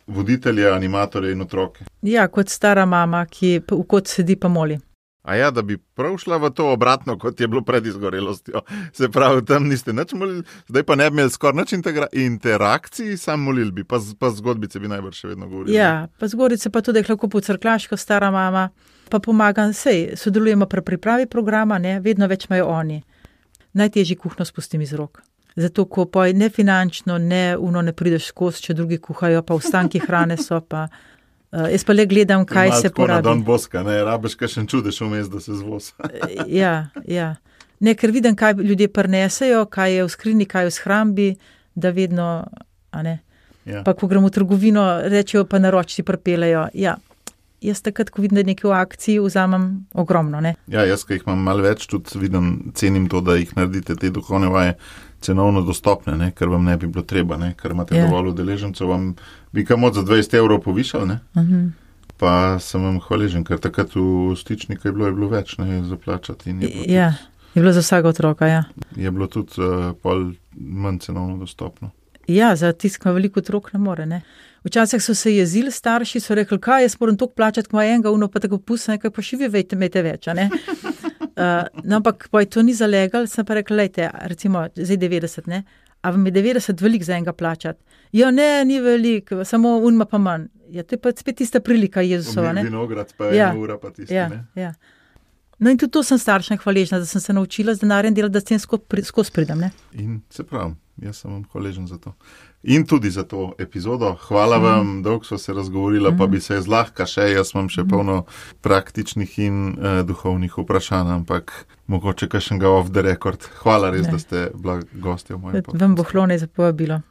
voditelje, animatorje in otroke? Ja, kot stara mama, ki v kot sedi pa moli. A ja, da bi prav šla v to obratno, kot je bilo pred izgorelostjo. Se pravi, tam niste nič molili, zdaj pa ne bi imeli skoraj nič interakcij, sam molili bi, pa, pa zgodbice bi najbrž še vedno govorili. Ja, pa zgodbice pa tudi, da je lahko pocrklaško stara mama, pa pomagam, sej, sodelujemo pri pripravi programa, ne, vedno več imajo oni. Najtežji kuhno spustim iz rok. Zato, ko pa ne finančno, ne uno ne prideš skozi, če drugi kuhajo, pa ostanki hrane so, pa uh, jaz pa le gledam, kaj se porabi. Na Don Boska, ne, rabiš kakšen čudež vmes, da se zvoz. Ja, ja. Ne, ker vidim, kaj ljudje prinesejo, kaj je v skrini, kaj je v shrambi, da vedno, a ne. Ja. Pa ko gremo v trgovino, rečejo pa naročci pripeljejo, ja. Jaz takrat, ko vidim, da je nekaj v akciji, vzamem ogromno, ne. Ja, jaz, ki jih imam malo več, tudi vidim, cenim to, da jih naredite te duhovne vaje cenovno dostopne, ne, ker vam ne bi bilo treba, ne, ker imate Ja. dovolj udeležencev, vam bi kamot za dvajset evrov povišali, ne. Mhm. Pa sem vam hvaležen, ker takrat v Stičniku je bilo, je bilo več, ne, za plačati in je bilo, Ja, je bilo za vsega otroka, ja. tudi, je bilo tudi uh, pol manj cenovno dostopno. Ja, za tiskma veliko otrok ne more, ne. Včasih so se jezili starši, so rekli, kaj jaz moram toliko plačati, ko ima enega, uno pa tako pusta, nekaj pa še vi vejte, imejte več, a ne. Uh, no, ampak pa je to ni zalegal, sem pa rekla, lejte, recimo, zdaj devetdeset, ne, a vam je devetdeset velik za enega plačati? Ja, ne, ni velik, samo unma pa manj. Ja, to je pa spet tista prilika Jezusova, ne. Vinograd pa Ja. ena ura pa tisti, Ja, ne. ja. No in tudi to sem staršem hvaležna, da sem se naučila z denarjem delati, da s tem skozi pri, skozi pridem, ne. In se pravim, jaz sem vam hvaležen za to. In tudi za to epizodo. Hvala mm. vam, dolgo sva se razgovorila, mm. pa bi se zlahka še, jaz imam še mm. polno praktičnih in uh, duhovnih vprašanj, ampak mogoče kakšnega off the record. Hvala res, Ne. da ste bila gostja v mojem podcastu. Vam bo hlo ne za povabilo.